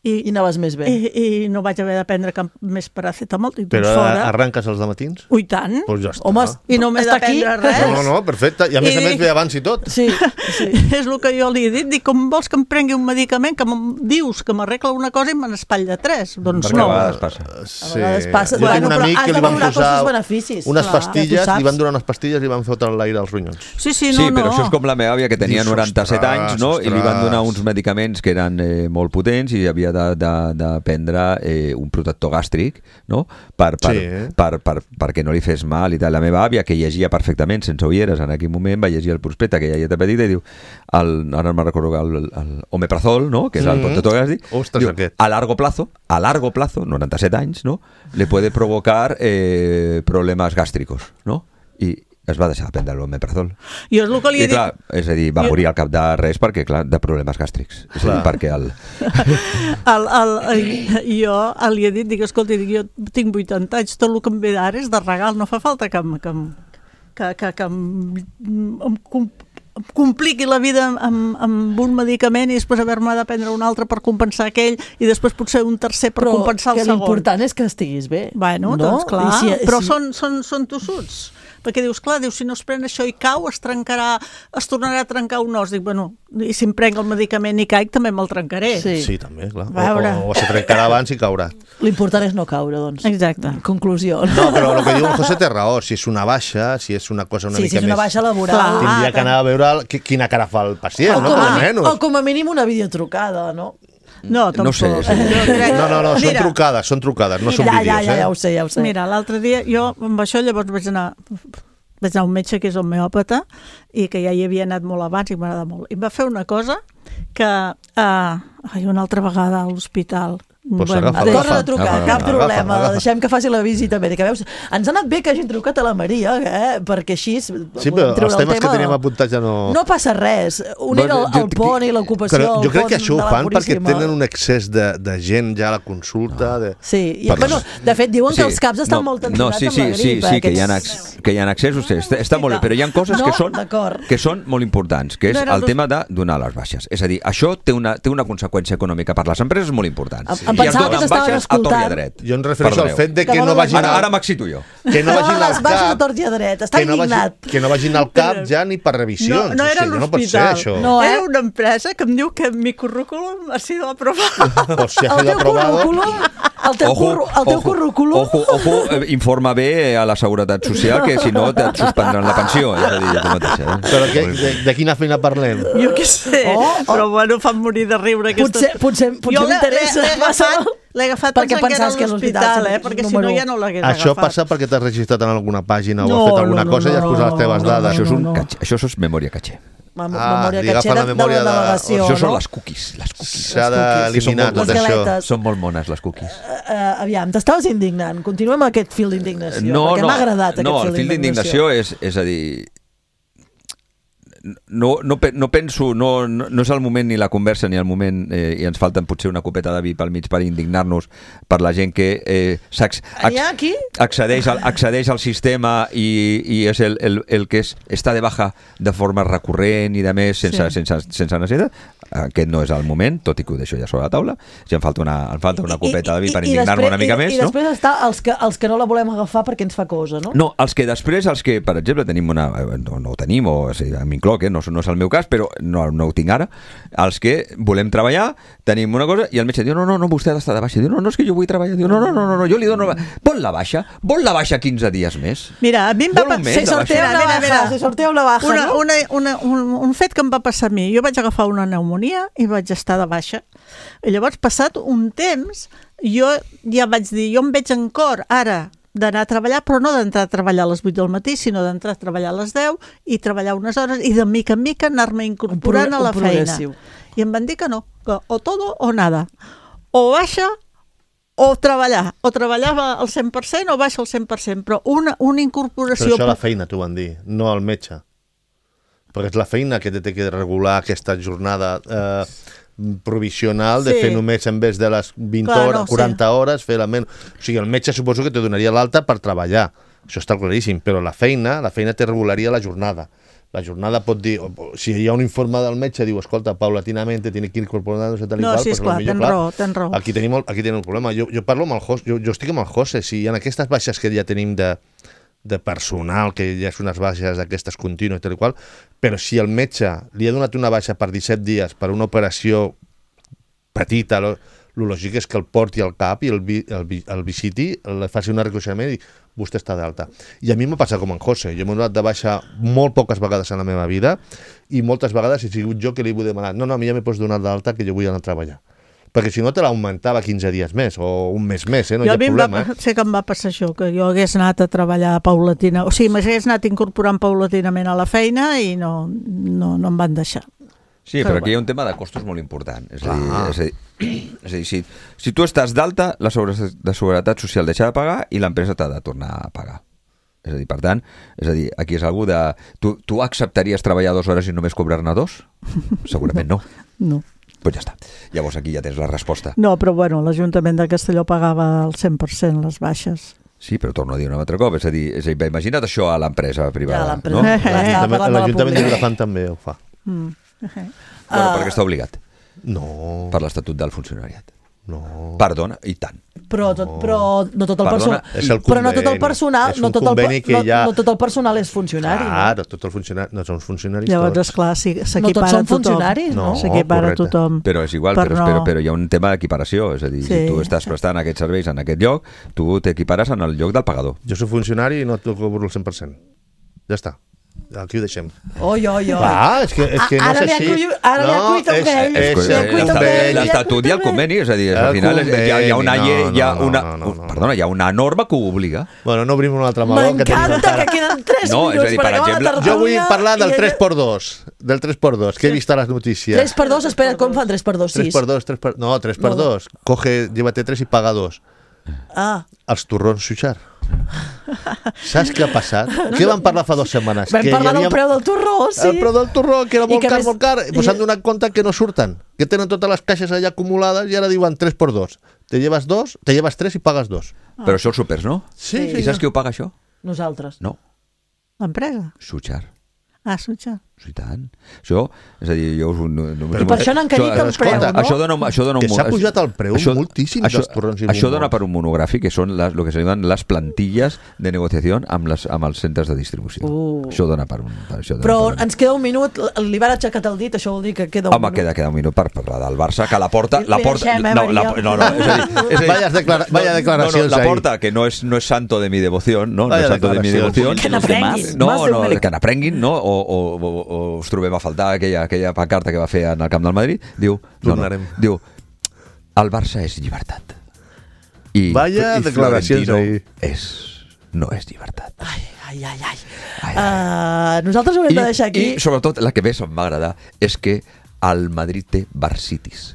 I, I anaves més bé. I, i no vaig haver de prendre cap més paracetamol. Però fora. Arranques els dematins? Ui, tant. Pues ja està. Home, i no m'he de prendre res. No, no, no, perfecte. I a més I a més dic... ve abans i tot. Sí, sí. És el que jo li he dit. Dic, com vols que em prengui un medicament que dius que m'arregla una cosa i me n'espatlla tres? Doncs perquè no. A vegades passa. Sí. A vegades passa. Jo Bueno, tinc un amic que li van posar unes pastilles, li van donar unes pastilles i li van fotre l'aire als ronyons. Sí, sí, no, sí, però no. això és com la meva àvia que tenia noranta-set anys, no? I li van donar uns medicaments que eren eh, molt potents i havia de, de, de prendre eh, un protector gàstric, no? Per, per, Sí. per, per, perquè no li fes mal i tal. La meva àvia, que llegia perfectament sense ulleres en aquell moment, va llegir el prospecte que ja hi ha petita i diu, el, ara no me'n recordo, el, el omeprazol, no? Que és el Mm. protector gàstric, Ostres, diu, aquest. a largo plazo, a largo plazo, noranta-set anys, no? Le puede provocar eh, problemes gàstricos, no? I es va deixar de prendre l'omeprazol. Jo és el que li I he dit... clar, és a dir, va Jo- morir al cap de res perquè, clar, de problemes gàstrics. És a dir, Clar. perquè el... El, el, el, jo li he dit, dic, escolta, dic, jo tinc vuitanta anys, tot el que em ve d'ara és de regal, no fa falta que em, que em, que, que, que em, em, com- em compliqui la vida amb, amb un medicament i després haver-me de prendre un altre per compensar aquell i després potser un tercer per Però compensar el que segon. l'important és que estiguis bé. Bueno, no? doncs clar, I si- però si- són, són, són tossuts. Perquè dius, clar, dius, si no es pren això i cau, es trencarà, es tornarà a trencar un os. Dic, bueno, i si em prenc el medicament i caic, també me'l trencaré. Sí. Sí, també, clar. A veure. O, o, o se trencarà abans i caurà. L'important és no caure, doncs. Exacte. Conclusió. No, però el que diu el José té raó. Si és una baixa, si és una cosa una sí, mica si és una més... baixa laboral. Clar. Tindria que Ah, anar a veure el, qui- quina cara fa el pacient, o, no? com Per a, almenys. o com a mínim una videotrucada, no? No, tampoc. No sé, sí. Jo crec- No, no, no, són Mira, trucades, són trucades, no ja, són ja, vídeos, ja, eh? ja ho sé, ja ho sé. Mira, l'altre dia jo amb això llavors vaig anar vaig anar a un metge que és homeòpata i que ja hi havia anat molt abans i m'agrada molt. I em va fer una cosa que uh, ai, una altra vegada a l'hospital Pues bueno, agafa, de- agafa. Torna a trucar, Agafa, cap agafa, problema, agafa. deixem que faci la visita mèdica. Veus, ens ha anat bé que hagin trucat a la Maria, eh? Perquè així... Sí, però els temes que teníem apuntats ja no... No passa res. Un era el, Bueno, jo- el pont i l'ocupació. Però jo el crec pont que això ho de la fan perquè Puríssima. tenen un excés de, de gent ja a la consulta. De... Sí, i, Per- bueno, de fet diuen que els caps estan no, molt no, tensionats sí, sí, amb la sí, grip. sí, eh, que hi ha, aquests- ex, que hi ha accessos, sí, està, està molt bé, però hi ha coses No, que són, d'acord. que són molt importants, que és No era el los- tema de donar les baixes. És a dir, això té una, té una conseqüència econòmica per les empreses molt important. Em- em I es pensava que donen t'estaven baixes a tort i a escoltant. dret. Jo em refereixo al Perdoneu. fet de que Que no no vagin Ara, al, ara m'excito jo. que no No, vagin les al baixes a cap, tort i a dret. Està que no, indignat. vagin, que no vagin al cap ja ni per revisions. No, no era o sigui, no pot ser l'hospital. això. No, eh? Era una empresa que em diu que mi currículum ha sido aprobado. O si ha El sido teu aprobado... currículum, el teu, curru, el teu ojo, currículum... ojo, ojo, eh, informa bé a la Seguretat Social que si no et suspendran la pensió. És a dir, tu mateixa. Eh? Però que, de, de quina feina parlem? Jo què sé, Oh, oh. però bueno, fan morir de riure aquestes... Potser, potser, potser Jo l'he- m'interessa. l'he- l'he agafat, l'he agafat Perquè pensant que era pensaves que a l'hospital, eh? Perquè si no número ja no l'hagués Això agafat. passa perquè t'has registrat en alguna pàgina o No, has fet alguna no, no, cosa i has no, posat les teves no, dades. Això és, un no. catxer, això és memòria catxer. Mem Ah, memòria li agafa catxera la de, memòria de de- la navegació, Això són no? les cookies. Les cookies. S'ha d'eliminar Les tot Les això. galetes. Són molt mones, les cookies. Uh, aviam, t'estaves indignant. Continuem amb aquest fil d'indignació, No, perquè no, m'ha agradat no, aquest el fil d'indignació és, és a dir... No, no, pe- no penso, no, no, no és el moment ni la conversa ni el moment, eh, i ens falten potser una copeta de vi pel mig per indignar-nos per la gent que eh, s'ac- N'hi ha aquí? accedeix, al, accedeix al sistema i, i és el, el, el que és, està de baja de forma recurrent i de més sense, Sí. sense, sense necessitat. Aquest no és el moment, tot i que ho deixo ja sobre la taula. Ja em falta una, em falta una copeta de vi per indignar-me una mica i, més, I no? després està els que, els que no la volem agafar perquè ens fa cosa, no? No, els que després, els que, per exemple, tenim una... No, no ho tenim, o, o sigui, m'incloc, eh? no, no és el meu cas, però no, no ho tinc ara. Els que volem treballar, tenim una cosa, i el metge diu, no, no, no, vostè ha d'estar de baixa. Diu, no, no, és que jo vull treballar. Diu, no, no, no, no, no jo li dono... Vol la baixa? Vol la baixa quinze dies més? Mira, a mi em va... Vol un pa- mes Se de sortea baixa? una Mira, mira, baja, se sortea una baja, una, no? una, una, un, un fet que em va passar a mi. Jo vaig agafar una pneumonia i vaig estar de baixa. I llavors, passat un temps, jo ja vaig dir, jo em veig en cor ara d'anar a treballar, però no d'entrar a treballar a les vuit del matí, sinó d'entrar a treballar a les deu i treballar unes hores i de mica en mica anar-me incorporant Un pro- a la un feina. progressiu. I em van dir que no, que o todo o nada. O baixa o treballar. O treballava al cent per cent o baixa al cent per cent, però una, una Però incorporació... això a la feina t'ho van dir, no al metge. Perquè és la feina que té que regular aquesta jornada eh, provisional de Sí. fer només en vez de les vint Clar, hores, no, sí. quaranta hores, fer la menys. O sigui, el metge suposo que te donaria l'alta per treballar. Això està claríssim, però la feina, la feina te regularia la jornada. La jornada pot dir, o- o- si hi ha un informe del metge, diu, escolta, paulatinamente tiene que ir incorporándose tal i No, qual, sí, pues esclar, potser, tens clar, raó, tens raó. Aquí tenim, el, aquí tenim el problema. Jo, jo parlo amb el José, jo, jo estic amb el José, si en aquestes baixes que ja tenim de, de personal, que ja són unes baixes d'aquestes contínues i tal i qual, però si el metge li ha donat una baixa per disset dies per una operació petita, lo, lo lògic és que el porti al cap i el, vi, el, vi, el visiti, el faci un reconeixement i vostè està d'alta. I a mi m'ha passat com en José, jo m'he donat de baixa molt poques vegades en la meva vida i moltes vegades he sigut jo que li he demanat, no, no, a mi ja m'he pots donar d'alta que jo vull anar a treballar. perquè si no te l'augmentava quinze dies més o un mes més, eh? No jo hi ha a mi problema. va, Eh? sé que em va passar això, que jo hagués anat a treballar paulatina, o sigui, m'hagués anat incorporant paulatinament a la feina i no, no, no em van deixar. Sí, però, però aquí hi ha un tema de costos molt important. És a dir, és a dir, és a dir si, si tu estàs d'alta, la seguretat, la seguretat social deixa de pagar i l'empresa t'ha de tornar a pagar. És a dir, per tant, és a dir, aquí és algú de... Tu, tu acceptaries treballar dues hores i només cobrar-ne dos? Segurament no. No. Doncs pues ja està. Llavors aquí ja tens la resposta. No, però bueno, l'Ajuntament de Castelló pagava el cent per cent les baixes. Sí, però torno a dir un altre cop. És a dir, és a dir imagina't això a l'empresa privada. Ja, l'empresa. No? Eh, eh, L'Ajuntament l'Ajuntament de Vilafant també ho fa. Mm. Uh-huh. Bueno, perquè està obligat. No. Per l'Estatut del Funcionariat. No. Perdona, i tant. Però, tot, però no tot el Perdona, personal... és el Però no tot el conveni. personal... És No un tot el, conveni que no, ja- no tot el personal és funcionari, Claro, tot el funcionari... No són funcionaris Llavors, tots. esclar, sí, no? No tots s'equipara són tothom. funcionaris, no? No. S'equipara correcte. tothom. Però és igual, Per però, no- però, però hi ha un tema d'equiparació. És a dir, Sí. si tu estàs prestant aquests serveis en aquest lloc, tu t'equipares en el lloc del pagador. Jo soc funcionari i no et cobro el cent per cent. Ja està. Aquí ho deixem. Oi, oi, oi. Ah, és que, és que no Ara és li ha així. cuit- ara li ha No, cuit un és- vell. és- És Li ha cuit un l'Estatut- vell, li ha l'Estatut cuit i el un vell. conveni, és a dir, El al final hi ha, hi ha una conveni, llei, hi ha no, no, una, no, no, no. perdona, hi ha una norma que ho obliga. Bueno, no obrim un altre meló. que tenim M'encanta encara. que queden tres No, és a minuts dir, per per acabar exemple, la tertúlia. Jo vull parlar del i- tres per dos. Del tres per dos, que he vist a les notícies. tres per dos, espera, com fan tres per dos? tres sis? per dos, tres per... No, tres per No. dos. Coge, llévate tres i paga dos. Ah, Els torrons Xuxar. Saps què ha passat? Què vam parlar fa dues setmanes? vam Que hi parlar del havia- preu del torró, sí. El preu del torró, que era I molt que car, més- molt car, i i- s'han donat compte que no surten, que tenen totes les caixes allà acumulades i ara diuen tres per dos. Te llevas dos, te llevas tres i pagues dos. Però això els supers, no? Sí, I saps qui ho paga, això? Nosaltres. No, L'empresa? Xuxar. Ah, Sutja. Sí, tant. Això, és a dir, jo us... No, no, I per això n'han carit el preu, no? Això dona, això dona un, Que s'ha pujat el preu moltíssim això, dels torrons i això bombons. dona per un monogràfic, que són les, lo que se diuen les plantilles de negociació amb, les, amb els centres de distribució. Uh. Això dona per un... Per, això dona Però per un... ens queda un minut, li van aixecat el dit, això vol dir que queda un Home, minut. queda, queda un minut per parlar del Barça, que la porta... La Li porta deixem, eh, no, la, Maria? no, no, és a dir... És a dir Vaya declara- vaya declaracions no, no, la ahí. porta, que no és, no és santo de mi devoción, no? Vaya no és santo de mi declaracions. devoción. Que n'aprenguin. No, Más de no, un que n'aprenguin, no? O, o, o, o us trobem a faltar aquella, aquella pancarta que va fer en el camp del Madrid. Diu, no, no, Tornarem. diu, el Barça és llibertat. I, Vaya i declaracions Florentino ahí. és, no és llibertat. Ai, ai, ai, ai. Ai, Uh, nosaltres ho hem de deixar aquí. I sobretot la que més em va agradar és que el Madrid té barcitis.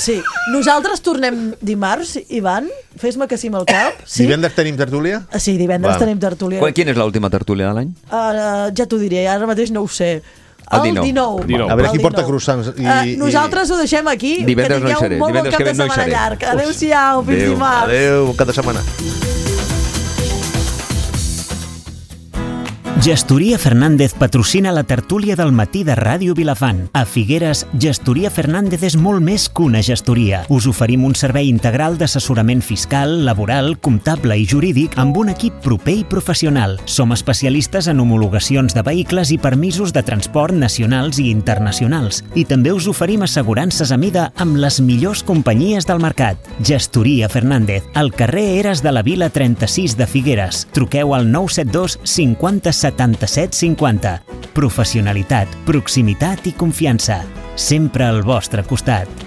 Sí. Nosaltres tornem dimarts, Ivan? Fes-me que sí amb el cap. Sí? Divendres tenim tertúlia? Ah, sí, divendres Vale. tenim tertúlia. Quan, quina és l'última tertúlia de l'any? Uh, ja t'ho diré, ara mateix no ho sé. El dinou. dinou. dinou. A veure El qui porta dinou. croissants i- Uh, i- nosaltres ho deixem aquí. Divendres que no hi tingueu seré, un molt bon divendres cap que de ve no hi setmana seré. llarg. Adéu-siau, fins Adéu. dimarts. Adéu, cada setmana. Gestoria Fernández patrocina la tertúlia del matí de Ràdio Vilafant. A Figueres, Gestoria Fernández és molt més que una gestoria. Us oferim un servei integral d'assessorament fiscal, laboral, comptable i jurídic amb un equip proper i professional. Som especialistes en homologacions de vehicles i permisos de transport nacionals i internacionals. I també us oferim assegurances a mida amb les millors companyies del mercat. Gestoria Fernández, al carrer Eres de la Vila trenta-sis de Figueres. Truqueu al nou set dos cinquanta setanta-set cinquanta. Professionalitat, proximitat i confiança. Sempre al vostre costat.